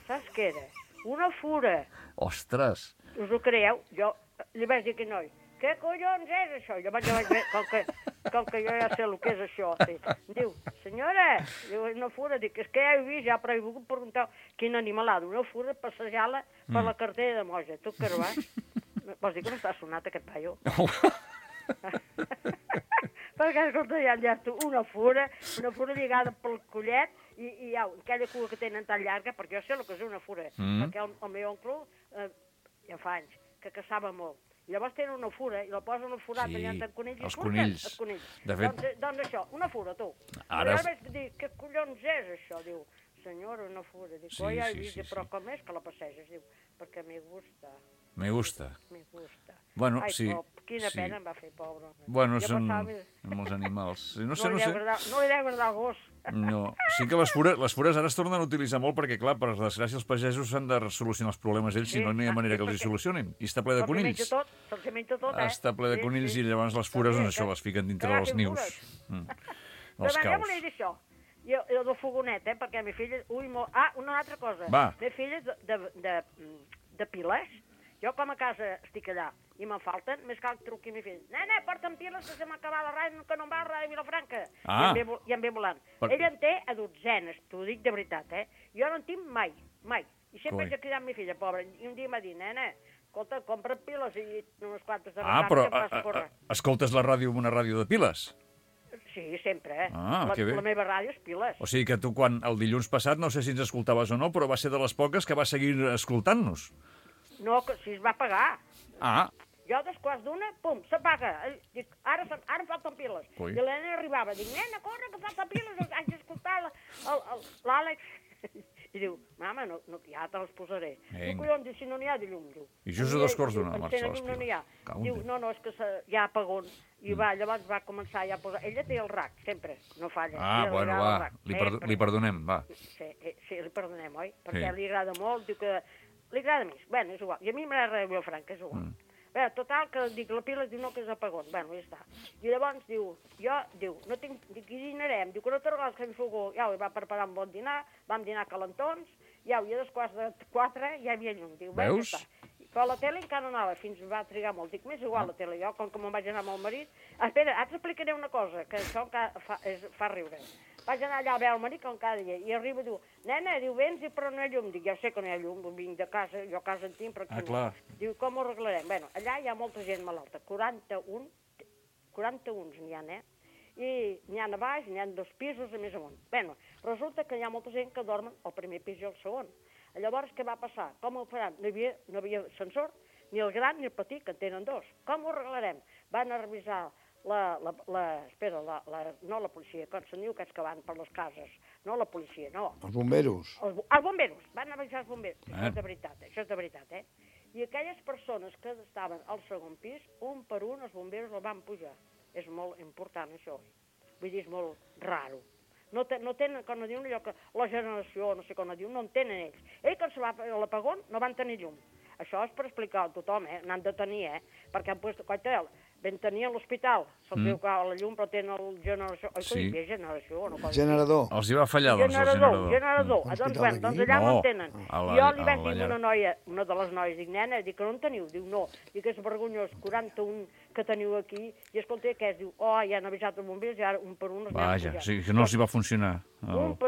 Saps què era? Una fura. Ostres! Us ho creieu? Jo li vaig dir a aquell noi, què collons és això? Jo vaig dir, com que jo ja sé el que és això. Diu, senyora, una fura. Dic, és que ja he vist, però he volgut preguntar quin animalada, una fura passejant-la per la cartera de Moja. Tu què vas? Vols dir que no està sonat aquest paio? Perquè, escolta, ja una fura lligada pel collet i aquella cua que tenen tan llarga, perquè jo sé el que és una fura, perquè el meu oncle ja fa anys que caçava molt. I llavors tenen una fura i la posen al forat allà entre conills. Els conills. De fet... Doncs això, una fura, tu. Ara jo vaig dir, què collons és això? Diu, senyora, una fura. Dic, ja he vist, però com és que la passeges? Diu, perquè me gusta. Me gusta. Me gusta. Bueno, ai, sí. Quina pena em va fer, pobre. Bueno, són els animals. No sé. No li deu agradar el gos. No. Sí que les fures ara es tornen a utilitzar molt perquè, clar, per desgràcia, els pagesos s'han de solucionar els problemes ells, si no hi ha manera que els hi solucionin. I està ple de conills. Se'ls menja tot, Està ple de conills i llavors les fures, doncs això, les fiquen dintre dels nius. Els caus. Jo volia dir això. I el del fogonet, perquè a mi filla... una altra cosa. Va. Mi filla de piles. Jo, com a casa estic allà i me'n falten, més cal que truqui a mi fill. Nena, porta'm piles que se m'ha acabat la ràdio, que no em va a ràdio Vilafranca. I em ve volant. Ell en té a dotzenes, t'ho dic de veritat, Jo no en tinc mai. I sempre haig de cridar a mi filla, pobra. I un dia m'ha dit, nena, escolta, compra piles i unes quantes de ràdio però que vas córrer. Escoltes la ràdio amb una ràdio de piles? Sí, sempre, que la meva ràdio és piles. O sigui que tu, quan el dilluns passat, no sé si ens escoltaves o no, però va ser de les poques que va seguir escoltant-nos. No, si es va pagar. Jo, a 2:15, pum, s'apaga. Dic, ara em falten piles. I la nena arribava, dic, nena, corre, que falten piles, haig d'escoltar l'Àlex. I diu, mama, ja te les posaré. Diu, collons, si no n'hi ha de llum, diu. I just a 2:15 marxa les piles. No n'hi ha. Diu, no, és que hi ha apagons. I llavors va començar ja a posar... Ella té el rac, sempre, no falla. Bueno, va, li perdonem, va. Sí, li perdonem, oi? Perquè li agrada molt, diu que... Li agrada més. Bé, és igual. I a mi m'agrada Vilafranca, és igual. Bé, total, que dic, la pila diu no, que és apagón. Bé, ja està. I llavors diu, no tinc... Dic, i dinarem. Diu, que no t'arregles que em fugo. Ja, va preparar un bon dinar, vam dinar calentons, i a 2:15 ja hi havia llum. Diu, veus? Ja està. Però la tele encara no anava, fins va trigar molt. Dic, m'és igual la tele. Jo, com que me'n vaig anar amb el marit... Espera, ara t'explicaré una cosa, que això fa riure. Vaig anar allà a veure el marit com cada dia, i arriba i diu, nena, diu, vens i però no hi ha llum. Dic, ja sé que no hi ha llum, vinc de casa, jo a casa en tinc, però aquí no. Diu, com ho arreglarem? Bé, allà hi ha molta gent malalta, 41 n'hi ha, i n'hi ha a baix, n'hi ha 2 pisos i més amunt. Bé, resulta que hi ha molta gent que dormen al primer pis i al segon. Llavors, què va passar? Com ho faran? No hi havia ascensor, ni el gran ni el petit, que en tenen 2. Com ho arreglarem? Van a revisar no la policia, com se'n diu aquests que van per les cases, no la policia, no. Els bomberos. Els bomberos, van a revisar els bomberos. Això és de veritat, eh? I aquelles persones que estaven al segon pis, un per un els bomberos el van pujar. És molt important, això. Vull dir, és molt raro. No tenen, com no diuen allò que la generació, no sé com no diuen, no en tenen ells. Ells, quan se va a l'apagón, no van tenir llum. Això és per explicar a tothom, n'han de tenir, perquè han posat, coiteu, vam tenir a l'hospital, se'ls veu que la llum, però tenen el generació... Sí. Generador. Els hi va fallar, doncs, el generador. Doncs allà no en tenen. Jo li vaig dir a una noia, una de les noies, dic, nena, dic que no en teniu? Diu, no. Dic, és vergonyós, 41 que teniu aquí, i escolta, què és? Diu, ja han avisat els bombers, i ara un per un els anem pujant. Sí, que no els hi va funcionar. No en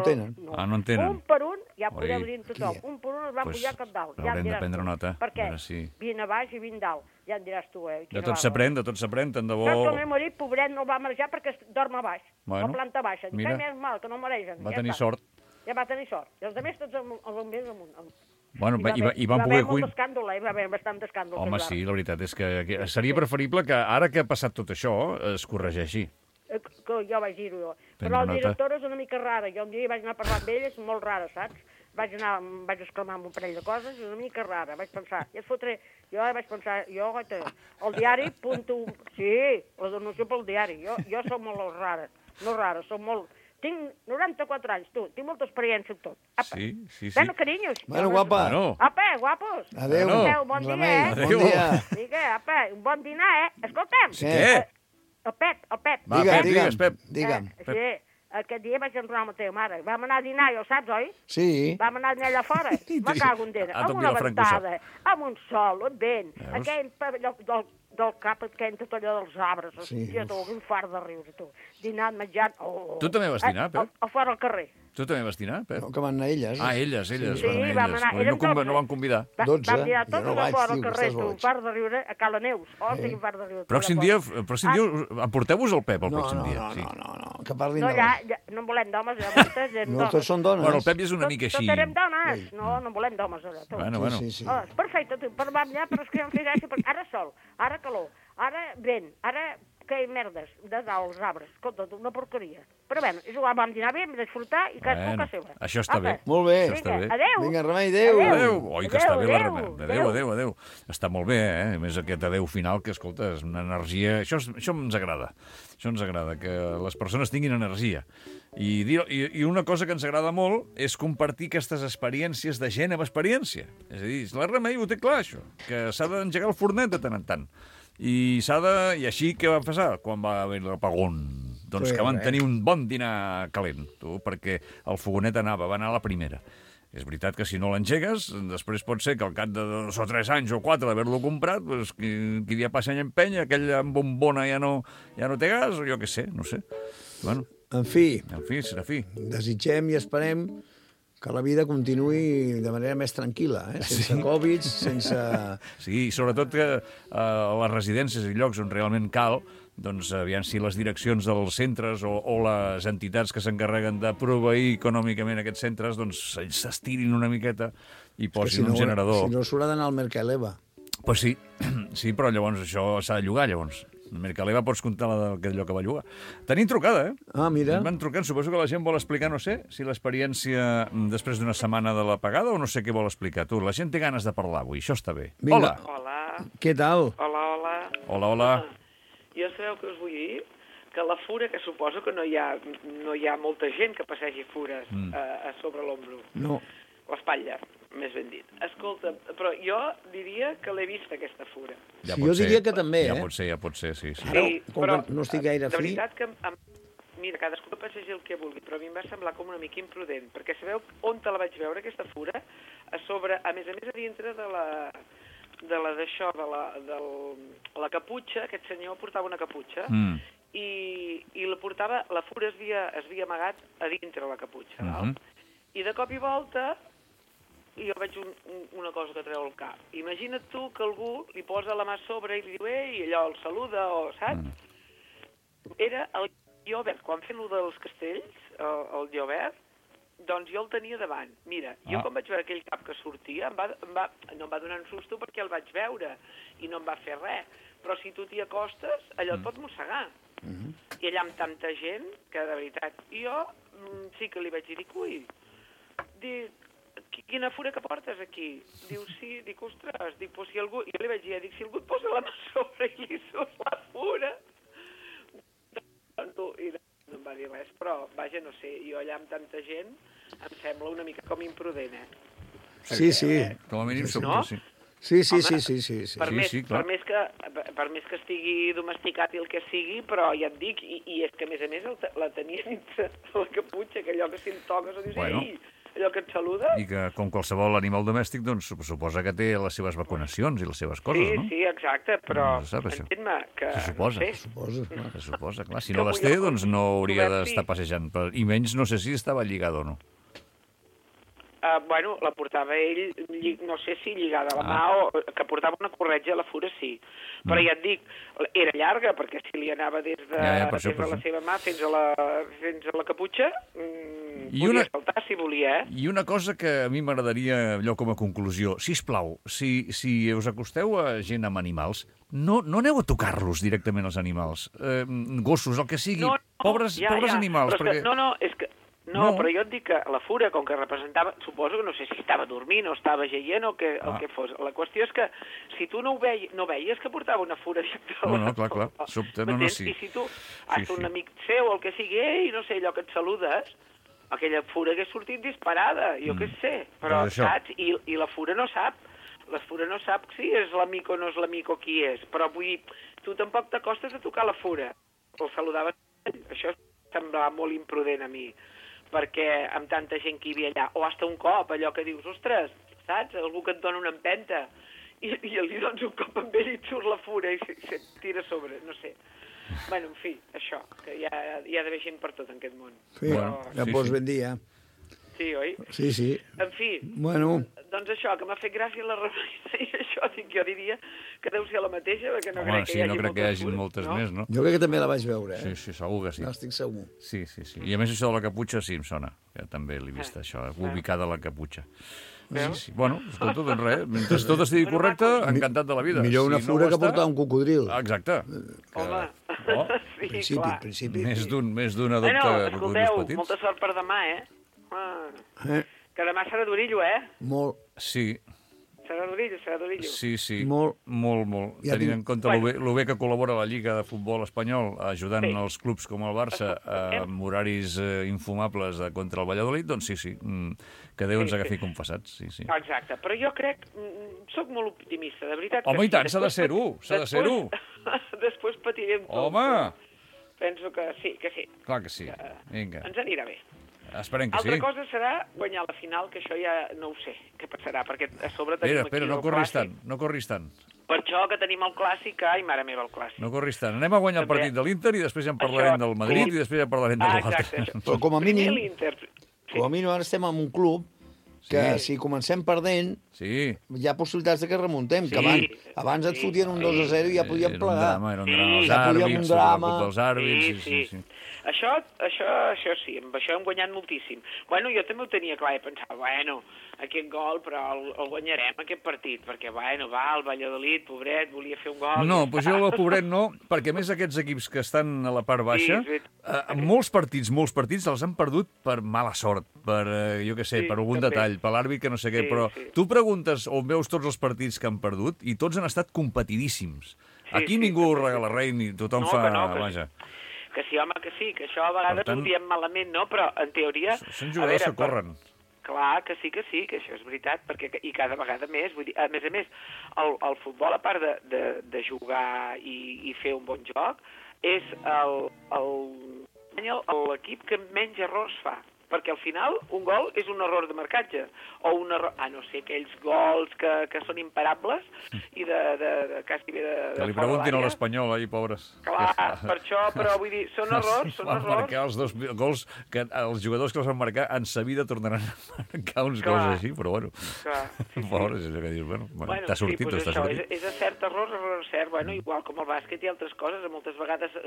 tenen. No en tenen. Un per un, ja podeu dir tothom, un per un els van pujar cap dalt. Haurem de prendre nota. Per què? 20 a baix i 20 dalt. Ja en diràs tu, De tot s'aprèn, tant de bo... Saps que el meu marit, pobret, no el va marejar perquè dorm a baix, a planta baixa. Dic, més mal, que no maregen. Va tenir sort. Ja va tenir sort. I els altres tots els bombers amunt. Bueno, i van poder... Va haver molt d'escàndol, va haver bastant d'escàndol. Home, sí, la veritat és que seria preferible que ara que ha passat tot això es corregeixi. Que jo vaig dir-ho jo. Però la directora és una mica rara. Jo un dia vaig anar a parlar amb ella, és molt rara, saps? Vaig exclamar amb un parell de coses, és una mica rara. Vaig pensar, el diari, sí, la donació pel diari. Jo soc molt rara, no rara, soc molt... Tinc 94 anys, tu, tinc molta experiència en tot. Sí. Bueno, carinyos. Bueno, guapa. Apa, guapos. Adéu. Bon dia, Bon dia. Digue, apa, un bon dinar, Escolta'm. Què? El Pep. Digue'm. Sí. Aquest dia vaig entrar amb la teva mare. Vam anar a dinar, ja ho saps, oi? Sí. Vam anar a dinar allà fora. Me cago en dena. Amb una ventada, amb un sol, un vent. Aquell del cap que entra tot allò dels arbres. Hòstia, tu, un fart de riure, tu. Dinant, menjant... Tu també vas dinar, Pep? A fora al carrer. Tu també vas dinar, Pep? No, que van anar elles. Elles. Sí, vam anar. No van convidar. 12. Vam dinar tots a fora al carrer, tu. Un fart de riure a Cala Neus. Tinc un fart de riure. Pròxim dia, emporteu-vos el Pep el pròxim dia. No, que parlin de... No en volem d'homes, no, tots són dones. Bueno, el Pep és una mica així. Tots érem dones. No en volem d'homes, allà. Bueno. És perfecte, tu, per allà, però és que jo em fixeixo, ara sol, ara calor, ara vent, ara que merdes de dalt els arbres. Escolta, una porqueria. Però bé, és igual, vam dinar bé, vam disfrutar i cadascú que seva. Això està bé. Molt bé. Adéu. Vinga, Remei, adéu. Oi, que està bé la Remei. Adéu. Està molt bé, A més, aquest adéu final, que, escolta, és una energia... Això ens agrada. Això ens agrada, que les persones tinguin energia. I una cosa que ens agrada molt és compartir aquestes experiències de gent amb experiència. És a dir, la Remei ho té clar, això, que s'ha d'engegar el fornet de tant en tant. I així què va passar quan va haver l'apagón? Doncs que van tenir un bon dinar calent, tu, perquè el fogonet va anar a la primera. És veritat que si no l'engegues, després pot ser que al cap de 2 o 3 anys o 4 d'haver-lo comprat, doncs, qui dia passa any empenya, aquell amb bombona ja no té gas, o jo què sé, no sé. Bueno, en fi, serà fi. Desitgem i esperem que la vida continuï de manera més tranquil·la, sense Covid, sense... Sí, sobretot que a les residències i llocs on realment cal, doncs aviam si les direccions dels centres o les entitats que s'encarreguen de proveir econòmicament aquests centres doncs s'estirin una miqueta i posin un generador. Si no s'haurà d'anar al Mercaleva. Pues sí, però llavors això s'ha de llogar, llavors. El Mercaleva pots comptar allò que va llogar. Tenim trucada, Ah, mira. Van trucant, suposo que la gent vol explicar, no sé, si l'experiència després d'una setmana de l'apagada o no sé què vol explicar. Tu, la gent té ganes de parlar avui, això està bé. Vinga. Hola. Què tal? Hola. Jo sabeu què us vull dir? Que la fura, que suposo que no hi ha molta gent que passegi fures a sobre l'ombro. No. L'espatlla, més ben dit. Escolta, però jo diria que l'he vist, aquesta fura. Ja jo diria que també, Ja pot ser, sí. Però no estic gaire fi... De fi... veritat que... Mira, cadascú passegi el que vulgui, però a mi em va semblar com una mica imprudent, perquè sabeu on te la vaig veure, aquesta fura? A sobre, a més a dintre de la caputxa, aquest senyor portava una caputxa, i la fura es havia amagat a dintre la caputxa, val? I de cop i volta jo veig una cosa que treu el cap. Imagina't tu que algú li posa la mà a sobre i li diu ei, i allò el saluda, o saps? era el Llobert. Quan fem lo dels castells, el Llobert, doncs jo el tenia davant. Mira, jo quan vaig veure aquell cap que sortia, no em va donar un susto perquè el vaig veure i no em va fer res. Però si tu t'hi acostes, allò et pot mossegar. I allà amb tanta gent, que de veritat, jo sí que li vaig dir, ui, quina fura que portes aquí? Diu, sí, dic, ostres, dic, si algú... Jo li vaig dir, si algú et posa la mà sobre i li surt la fura... I no em va dir res, però, vaja, no sé, jo allà amb tanta gent em sembla una mica com imprudent, Sí. Com a mínim som, sí. Sí. Per més que estigui domesticat i el que sigui, però ja et dic, i és que a més la tenia dins la caputxa, que allò que si em toques o dius, ei, allò que et saluda... I que, com qualsevol animal domèstic, doncs suposa que té les seves vacunacions i les seves coses, no? Sí, exacte, però entén-me que... Se suposa, clar. Si no les té, doncs no hauria d'estar passejant. I menys no sé si estava lligat o no. Bueno, la portava ell, no sé si lligada a la mà o que portava una corretja a la fura, sí. Però ja et dic, era llarga, perquè si li anava des de la seva mà fins a la caputxa, podia saltar si volia, I una cosa que a mi m'agradaria, allò com a conclusió, sisplau, si us acosteu a gent amb animals, no aneu a tocar-los directament als animals. Gossos, el que sigui, pobres animals. No, és que... No, però jo et dic que la fura, com que representava... Suposo que no sé si estava dormint o estava jaient o el que fos. La qüestió és que si tu no veies que portava una fura... No, clar. Sobte, no, sí. I si tu un amic seu o el que sigui, ei, no sé, allò que et saludes, aquella fura hagués sortit disparada, jo què sé. Però, saps? I la fura no sap. La fura no sap si és l'amic o no és l'amic o qui és. Però vull dir, tu tampoc t'acostes a tocar la fura. El saludaves. Això semblava molt imprudent a mi, perquè amb tanta gent que hi havia allà, o hasta un cop, allò que dius, ostres, saps? Algú que et dona una empenta, i li dones un cop amb ell i et surt la fura i se't tira a sobre, no sé. Bueno, en fi, això, que hi ha d'haver gent per tot en aquest món. Sí, ja pots ben dir, Sí, oi? Sí. En fi, doncs això, que m'ha fet gràcia la reunió i això, jo diria que deu ser la mateixa, perquè no crec que hi hagi que hi hagi moltes més, no? Jo crec que també la vaig veure, Sí, segur que sí. N'estic segur. Sí. I a més això de la caputxa sí em sona, que també l'he vist, això, ubicada la caputxa. Sí. Bueno, escolta, doncs res, mentre tot estigui correcte, encantat de la vida. Millor una fura que portar un cocodril. Exacte. Home, sí, clar. Principi. Més d'un adopta cocodrils petits. Molta sort per demà, Que demà serà d'orillo, Molt. Sí. Serà d'orillo. Sí. Molt. Tenint en compte lo bé que col·labora la Lliga de Futbol Espanyol, ajudant els clubs com el Barça amb horaris infumables contra el Valladolid, doncs sí. Que Déu ens agafi confessats, sí. Exacte, però jo crec, sóc molt optimista, de veritat. Home, i tant, s'ha de ser-ho. Després patirem tot. Home! Penso que sí. Clar que sí. Vinga. Ens anirà bé. Esperem que sí. Altra cosa serà guanyar la final, que això ja no ho sé què passarà, perquè a sobre tenim aquí el clàssic. No corris tant. Per això que tenim el clàssic, ai, mare meva, el clàssic. No corris tant. Anem a guanyar el partit de l'Inter i després ja en parlarem del Madrid i després ja en parlarem de l'altre. Però com a mínim ara estem en un club que si comencem perdent, hi ha possibilitats que remuntem, que abans et fotien un 2-0 i ja podíem plegar. Era un drama, els àrbits, sí. Això sí, amb això hem guanyat moltíssim. Bueno, jo també ho tenia clar, i pensava, aquest gol, però el guanyarem, aquest partit, perquè, el Valladolid, pobret, volia fer un gol. No, doncs jo el pobret no, perquè a més aquests equips que estan a la part baixa, molts partits els han perdut per mala sort, per, jo què sé, per algun detall, per l'àrbit que no sé què, però tu preguntes on veus tots els partits que han perdut i tots han estat competidíssims. Aquí ningú regala res ni tothom fa... Vaja. Que sí, home, que sí, que això a vegades ho diem malament, no? Però, en teoria... Són jugadors que corren. Clar, que sí, que és veritat, perquè i cada vegada més, vull dir, a més, el futbol, a part de jugar i fer un bon joc, és l'equip que menys errors fa. Perquè al final un gol és un error de marcatge, o un error, no sé, aquells gols que són imparables i de quasi bé de... Que li preguntin a l'Espanyol, pobres. Clar, per això, però vull dir, són errors, Van marcar els dos gols que els jugadors que els van marcar en sa vida tornaran a marcar uns gols així, però bueno. Pobres, és que dius, t'ha sortit o està sortit. És a cert error cert, igual com el bàsquet i altres coses, moltes vegades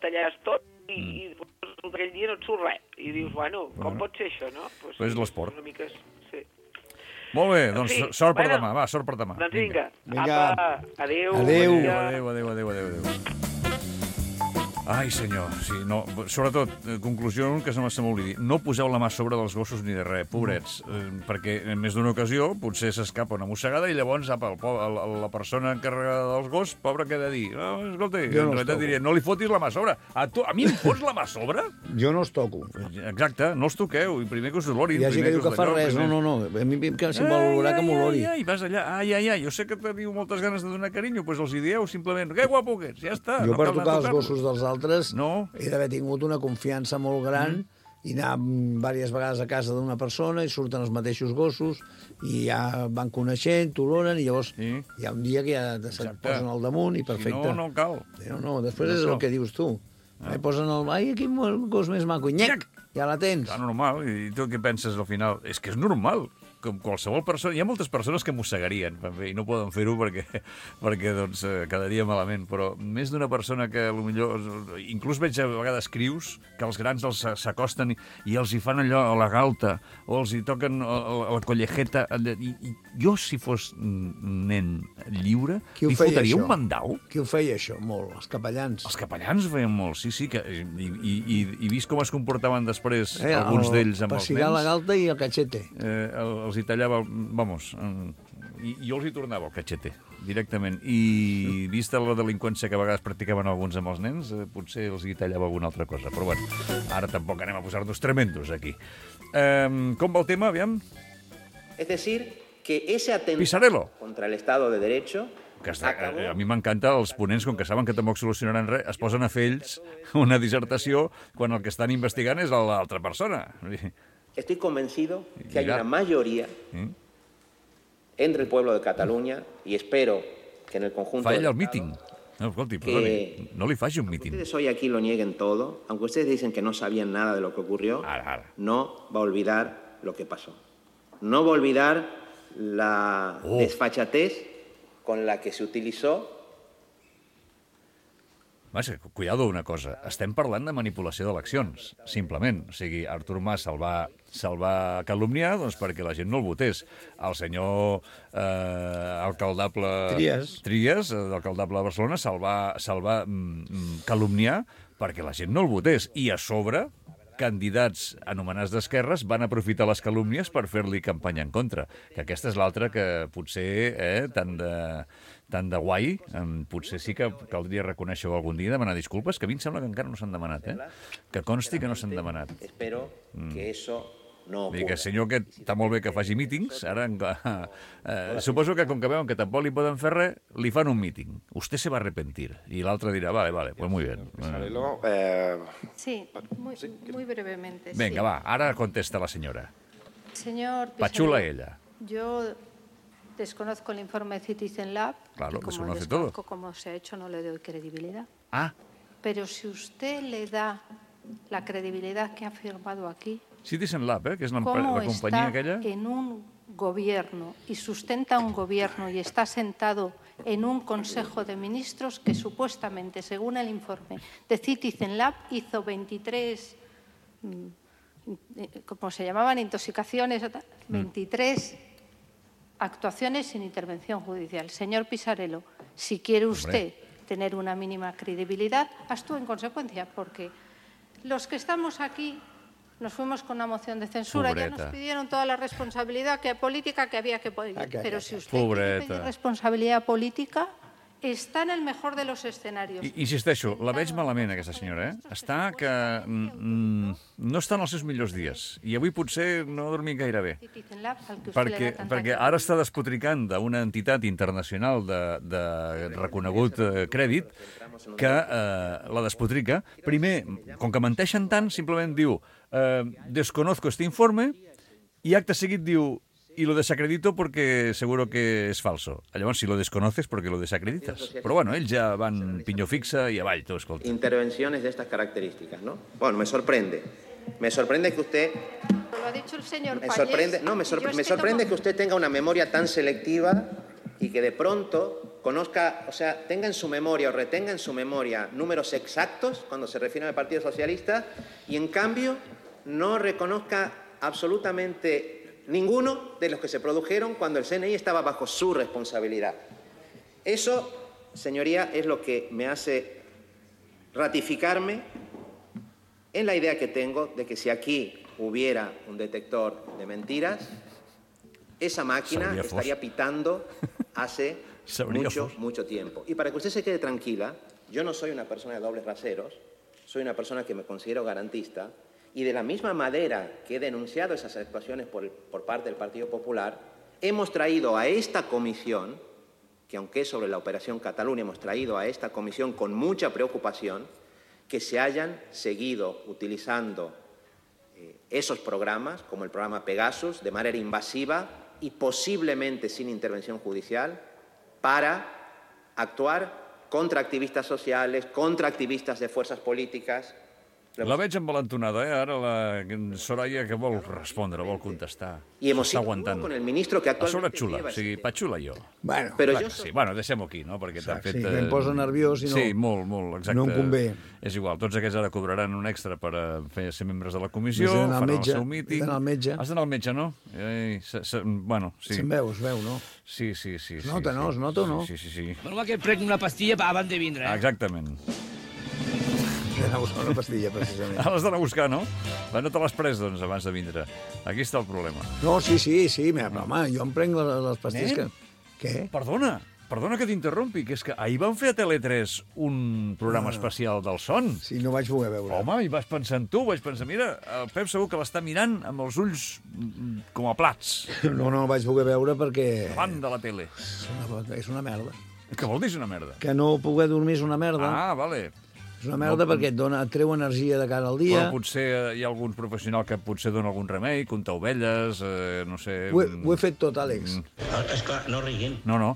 tallaves tot i aquell dia no et surt res. I dius, bueno, com pot ser això, no? És l'esport. Una mica, sí. Molt bé, doncs sort per demà, va, sort per demà. Doncs vinga. Apa, adéu. Adéu. Ai, senyor, sí, no, sobretot, conclusió que se m'ha oblidat, no poseu la mà a sobre dels gossos ni de res, pobrets, perquè en més d'una ocasió potser s'escapa una mossegada i llavors la persona encarregada dels gossos, pobra, què ha de dir? Escolta, en realitat diria, no li fotis la mà a sobre. A mi em fots la mà a sobre? Jo no els toco. Exacte, no els toqueu, i primer que us olorin. Hi ha gent que diu que fa res, no, a mi si vol olorar que m'olori. Ai, vas allà, jo sé que teniu moltes ganes de donar carinyo, doncs els hi dieu simplement, que guapo que ets, ja està. Jo per tocar els gossos dels altres he d'haver tingut una confiança molt gran i anar diverses vegades a casa d'una persona i surten els mateixos gossos i ja van coneixent, t'oloren i llavors hi ha un dia que ja se't posen al damunt i perfecte. Si no, no cal. No, després és el que dius tu. Posen el... Ai, quin gos més maco. Nyec! Ja la tens. Clar, normal. I tu què penses al final? És que és normal. Com qualsevol persona... Hi ha moltes persones que mossegarien i no poden fer-ho perquè doncs, quedaria malament, però més d'una persona que potser... Inclús veig a vegades crius que els grans s'acosten i els hi fan allò a la galta o els hi toquen a la collejeta. I jo, si fos nen lliure, li fotria un mandau. Qui ho feia, això? Molt. Els capellans. Els capellans ho feien molt, sí. I vist com es comportaven després alguns d'ells amb els nens. Passigar la galta i el cachete. Els hi tallava, i jo els hi tornava el cachete, directament. I vista la delinqüència que a vegades practicaven alguns amb els nens, potser els hi tallava alguna altra cosa. Però bueno, ara tampoc anem a posar-nos tremendos aquí. Com va el tema, aviam? Es decir, que ese atentado contra el Estado de Derecho... A mi m'encanta els ponents, com que saben que tampoc solucionaran res, es posen a fer ells una dissertació quan el que estan investigant és l'altra persona. Estoy convencido que hay una mayoría entre el pueblo de Cataluña y espero que en el conjunto... Fa ell el míting. No, escolti, perdoni, no li faci un míting. Ustedes hoy aquí lo nieguen todo, aunque ustedes dicen que no sabían nada de lo que ocurrió, no va a olvidar lo que pasó. No va a olvidar la desfachatez con la que se utilizó. Cuidado una cosa, estem parlant de manipulació d'eleccions, simplement. O sigui, Artur Mas se'l va calumniar perquè la gent no el votés. El senyor alcaldable Trias, l'alcaldable de Barcelona, se'l va calumniar perquè la gent no el votés. I a sobre, candidats anomenats d'esquerres van aprofitar les calúmnies per fer-li campanya en contra. Que aquesta és l'altra que potser, tant de guai, potser sí que caldria reconèixer-ho algun dia i demanar disculpes, que a mi em sembla que encara no s'han demanat, Que consti que no s'han demanat. Espero que eso no ocurra. Que senyor aquest està molt bé que faci mítings, ara suposo que com que veuen que tampoc li poden fer res, li fan un míting. Usted se va arrepentir. I l'altre dirà, vale, pues muy bien. Sí, muy brevemente. Venga, va, ara contesta la senyora. Señor Pisarello, Pachula ella. Yo desconozco el informe de Citizen Lab. Claro, y como desconoce desconozco todo. cómo se ha hecho, no le doy credibilidad. Ah. Pero si usted le da la credibilidad que ha firmado aquí, Citizen Lab, que és la ¿cómo companyia está aquella? en un gobierno y sustenta un gobierno y está sentado en un Consejo de Ministros que supuestamente, según el informe de Citizen Lab, hizo 23, ¿cómo se llamaban? Intoxicaciones, 23 actuaciones sin intervención judicial. Señor Pisarello, si quiere usted tener una mínima credibilidad, actúe en consecuencia, porque los que estamos aquí nos fuimos con una moción de censura, ya nos pidieron toda la responsabilidad política que había que poner. Pero si usted quiere pedir responsabilidad política, està en el mejor de los escenarios. Insisteixo, la veig malament, aquesta senyora, Està que no està en els seus millors dies. I avui potser no ha dormit gaire bé. Perquè ara està despotricant d'una entitat internacional de reconegut crèdit que la despotrica. Primer, com que menteixen tant, simplement diu desconozco este informe i acte seguit diu y lo desacredito porque seguro que es falso. Llavors, si lo desconoces, porque lo desacreditas. Però bueno, ells ja van pinyó fixa i avall, tu, escolta. Intervenciones de estas características, ¿no? Bueno, me sorprende. Me sorprende que usted... Lo ha dicho el señor me sorprende que usted tenga una memoria tan selectiva y que de pronto conozca, o sea, tenga en su memoria o retenga en su memoria números exactos cuando se refiere al Partido Socialista y, en cambio, no reconozca absolutamente ninguno de los que se produjeron cuando el CNI estaba bajo su responsabilidad. Eso, señoría, es lo que me hace ratificarme en la idea que tengo de que si aquí hubiera un detector de mentiras, esa máquina estaría pitando hace mucho tiempo. Y para que usted se quede tranquila, yo no soy una persona de dobles raseros, soy una persona que me considero garantista, y de la misma manera que he denunciado esas actuaciones por parte del Partido Popular, hemos traído a esta comisión, que aunque es sobre la Operación Cataluña, hemos traído a esta comisión con mucha preocupación que se hayan seguido utilizando esos programas, como el programa Pegasus, de manera invasiva y posiblemente sin intervención judicial, para actuar contra activistas sociales, contra activistas de fuerzas políticas. La veig envalentonada, Ara la Soraya, que vol respondre, vol contestar. I hemos sido con el ministro que actualmente... xula, o sigui, patxula jo. Bueno, sí, bueno, deixem-ho aquí, no? Perquè t'han fet... Sí, em posa nerviós i no... Sí, molt, exacte. No em convé. És igual, tots aquests ara cobraran un extra per ser membres de la comissió, faran el seu míting... Has d'anar al metge. Has d'anar al metge, no? Bueno, sí. Se'n veu, es veu, no? Sí. Es nota, no? Es nota o no? Sí. Normal que prenc una pastilla abans de vindre, eh? Exactament. He d'anar a buscar una pastilla, precisament. L'has d'anar a buscar, no? No te l'has pres, doncs, abans de vindre. Aquí està el problema. No, sí, però, home, jo em prenc les pastilles que... Què? Perdona que t'interrompi, que és que ahir van fer a Tele3 un programa especial del son. Sí, no vaig poder veure. Home, i vaig pensar en tu, mira, el Pep segur que l'està mirant amb els ulls com a plats. No el vaig poder veure perquè... Davant de la tele. És una merda. Què vol dir és una merda? Que no poder dormir és una merda. Ah, vale. És una merda perquè et treu energia de cara al dia. Però potser hi ha algun professional que potser dona algun remei, comptar ovelles, no sé... Ho he fet tot, Àlex. Esclar, no riguin. No.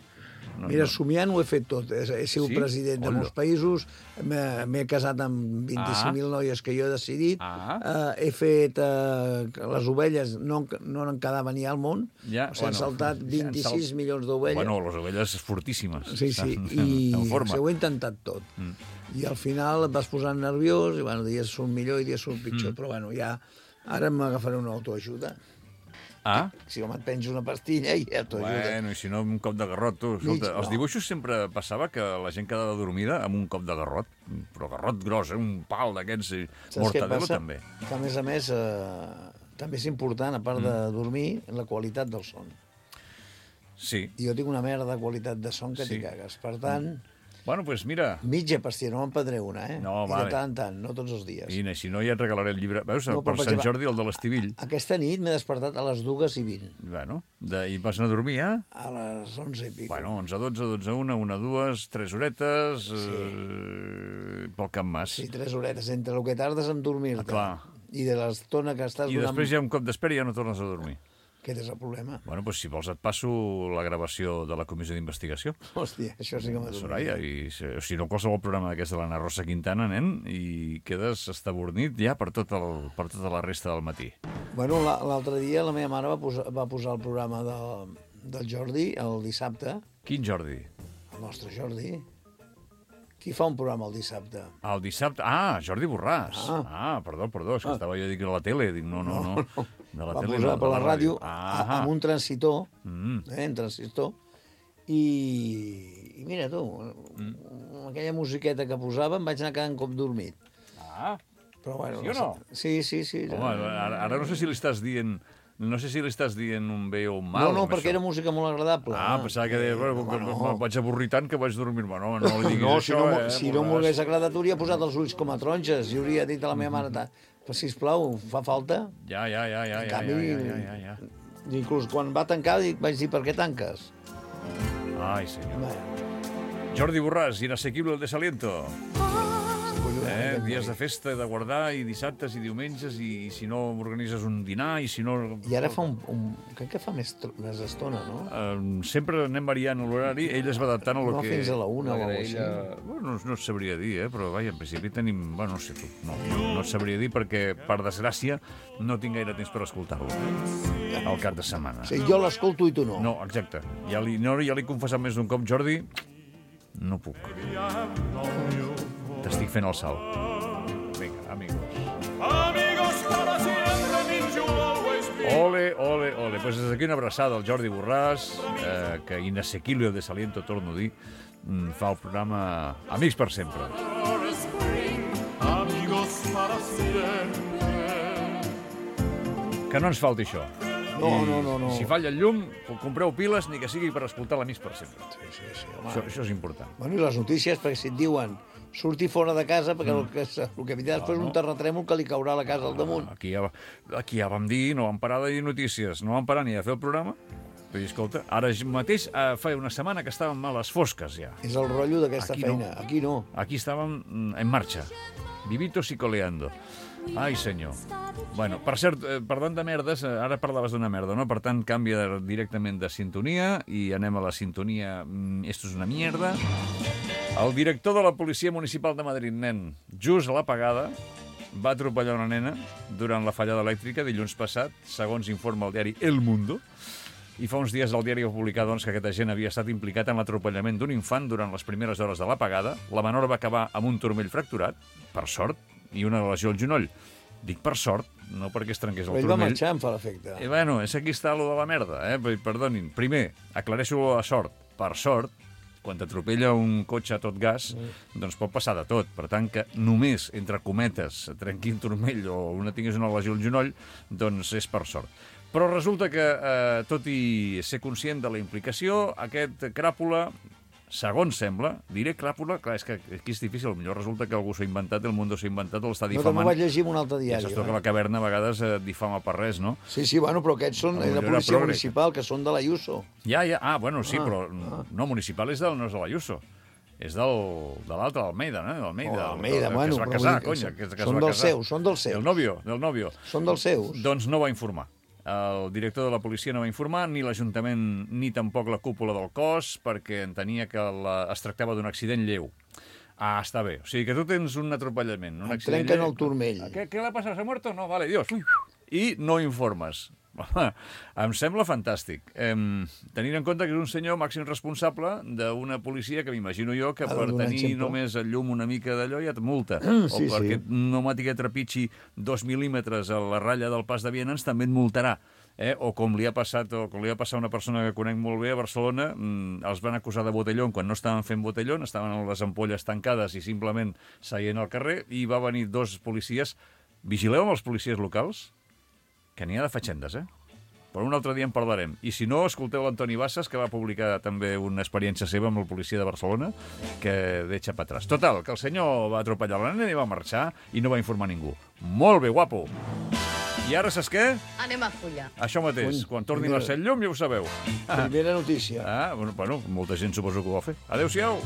Mira, somiant ho he fet tot. He sigut president de molts països, m'he casat amb 25.000 noies que jo he decidit, he fet... Les ovelles no en quedava ni al món, s'han saltat 26 milions d'ovelles. Bueno, les ovelles fortíssimes. Sí, i ho he intentat tot. I al final et vas posant nerviós, i dies surt millor i dies surt pitjor, però ja ara m'agafaré una autoajuda. Si home et penjo una pastilla i autoajuda. Bueno, i si no, un cop de garrot, tu. Escolta, els dibuixos sempre passava que la gent quedava dormida amb un cop de garrot, però garrot gros, un pal d'aquests, mortadelo també. Que a més, també és important, a part de dormir, la qualitat del son. Sí. I jo tinc una merda de qualitat de son que t'hi cagues. Per tant... Bueno, doncs mira... Mitja pastilla, no me'n prendré una, eh? No, vale. I de tant en tant, no tots els dies. I si no, ja et regalaré el llibre. Veus, per Sant Jordi, el de l'Estivill. Aquesta nit m'he despertat a les 2:20. Bueno, i vas anar a dormir, A les 11 i pico. Bueno, 11, 12, 12, 1, 1, 2, 3 horetes, pel Camp Mas. Sí, 3 horetes, entre el que tardes en dormir-te i de l'estona que estàs... I després hi ha un cop d'espera i ja no tornes a dormir. Aquest és el problema. Bueno, doncs si vols et passo la gravació de la comissió d'investigació. Hòstia, això sí que m'ha dormit. Soraya, o si no, qualsevol programa d'aquesta de l'Anna Rosa Quintana, nen, i quedes estabornit ja per tota la resta del matí. Bueno, l'altre dia la meva mare va posar el programa del Jordi el dissabte. Quin Jordi? El nostre Jordi. Qui fa un programa el dissabte? El dissabte? Jordi Borràs. Perdó, és que estava jo dient a la tele. Dic, no. De la tele, posar per la ràdio amb un transitor, un transistor, i mira tu, amb aquella musiqueta que posava em vaig anar quedant com dormit. Però bueno, sí o no? Sí. Home, ara no sé si li estàs dient... No sé si li estàs dient un bé o un mal. No, perquè era música molt agradable. Pensava que deia, vaig avorrir tant que vaig dormir-me. No li diguis això, si no m'ho hagués agradat, hauria posat els ulls com a taronges i hauria dit a la meva mare, però sisplau, fa falta? Ja. Inclús quan va tancar vaig dir, per què tanques? Ai, senyor. Jordi Borràs, Inasequible el desaliento. Dies de festa, de guardar, i dissabtes i diumenges, i si no organitzes un dinar, i si no... I ara fa crec que fa més estona, no? Sempre anem variant l'horari, ell es va adaptant a lo que... No, fins a la 1 o alguna cosa així. No et sabria dir, però vaja, en principi tenim... Bueno, no sé tu, no et sabria dir perquè, per desgràcia, no tinc gaire temps per escoltar-lo al cap de setmana. Sí, jo l'escolto i tu no. No, exacte. Ja li he confessat més d'un cop, Jordi, No puc. T'estic fent el salt. Vinga, amigos. Amigos para siempre means you'll always be. Ole, ole, ole. Pues des d'aquí una abraçada al Jordi Borràs, que inasequible el desaliento, torno a dir, fa el programa Amics per sempre. Amigos para siempre. Que no ens falti això. No. Si falla el llum, compreu piles, ni que sigui per escoltar l'Amics per sempre. Sí, això és important. Bueno, i les notícies, perquè si et diuen surti fora de casa, perquè el que vindrà després és un terratrèmol que li caurà a la casa al damunt. Aquí ja vam dir, no vam parar de dir notícies, no vam parar ni de fer el programa. Vull dir, escolta, ara mateix fa una setmana que estàvem a les fosques, ja. És el rotllo d'aquesta feina. Aquí no. Aquí estàvem en marxa. Vivitos y coleando. Ai, senyor. Bueno, per cert, parlant de merdes, ara parlaves d'una merda, no? Per tant, canvia directament de sintonia i anem a la sintonia Esto és una mierda. El director de la Policia Municipal de Madrid, nen, just a l'apagada, va atropellar una nena durant la fallada elèctrica dilluns passat, segons informa el diari El Mundo. I fa uns dies el diari va publicar doncs, que aquest agent havia estat implicat en l'atropellament d'un infant durant les primeres hores de l'apagada. La menor va acabar amb un turmell fracturat, per sort, i una lesió al genoll. Dic per sort, no perquè es trenqués el turmell. Ell va marxar, em fa l'efecte. Bueno, és aquí està lo de la merda, Perdonin. Primer, aclareixo la sort. Per sort, quan t'atropella un cotxe a tot gas, doncs pot passar de tot. Per tant, que només, entre cometes, trenqui un turmell o tingués una lesió al genoll, doncs és per sort. Però resulta que, tot i ser conscient de la implicació, aquest cràpula, segons sembla, diré cràpula, clar, és que aquí és difícil, potser resulta que algú s'ha inventat, el Mundo s'ha inventat, l'està difamant. No, també ho vaig llegir en un altre diari. Ja saps que la caverna a vegades difama per res, no? Sí, bueno, però aquests són de la policia municipal, que són de l'Ayuso. Ja, bueno, sí, però no, municipal no és de l'Ayuso. És de l'altre, d'Almeida, no? D'Almeida, bueno. Que es va casar, conya. Són dels seus. Del novio. Són dels seus. Doncs no va informar. El director de la policia no va informar, ni l'Ajuntament ni tampoc la cúpula del cos, perquè entenia que es tractava d'un accident lleu. Està bé. O sigui que tu tens un atropellament. Trenquen el turmell. ¿Qué le ha pasado? ¿Se ha muerto? No, vale, Dios. I no informes. Em sembla fantàstic. Tenint en compte que és un senyor màxim responsable d'una policia que m'imagino jo que per tenir només el llum una mica d'allò ja et multa. O perquè pneumàtica trepitgi 2 mil·límetres a la ratlla del pas de vianants també et multarà. O com li ha passat a una persona que conec molt bé a Barcelona, els van acusar de botellón quan no estaven fent botellón, estaven amb les ampolles tancades i simplement seient al carrer, i va venir 2 policies. Vigileu amb els policies locals, que n'hi ha de fatxendes, Però un altre dia en parlarem. I si no, escolteu l'Antoni Bassas, que va publicar també una experiència seva amb el policia de Barcelona, que deixa per atrás. Total, que el senyor va atropellar la nena i va marxar i no va informar ningú. Molt bé, guapo! I ara, saps què? Anem a follar. Això mateix. Quan torni la set llum ja ho sabeu. Primera notícia. Bueno, molta gent suposo que ho va fer. Adéu-siau!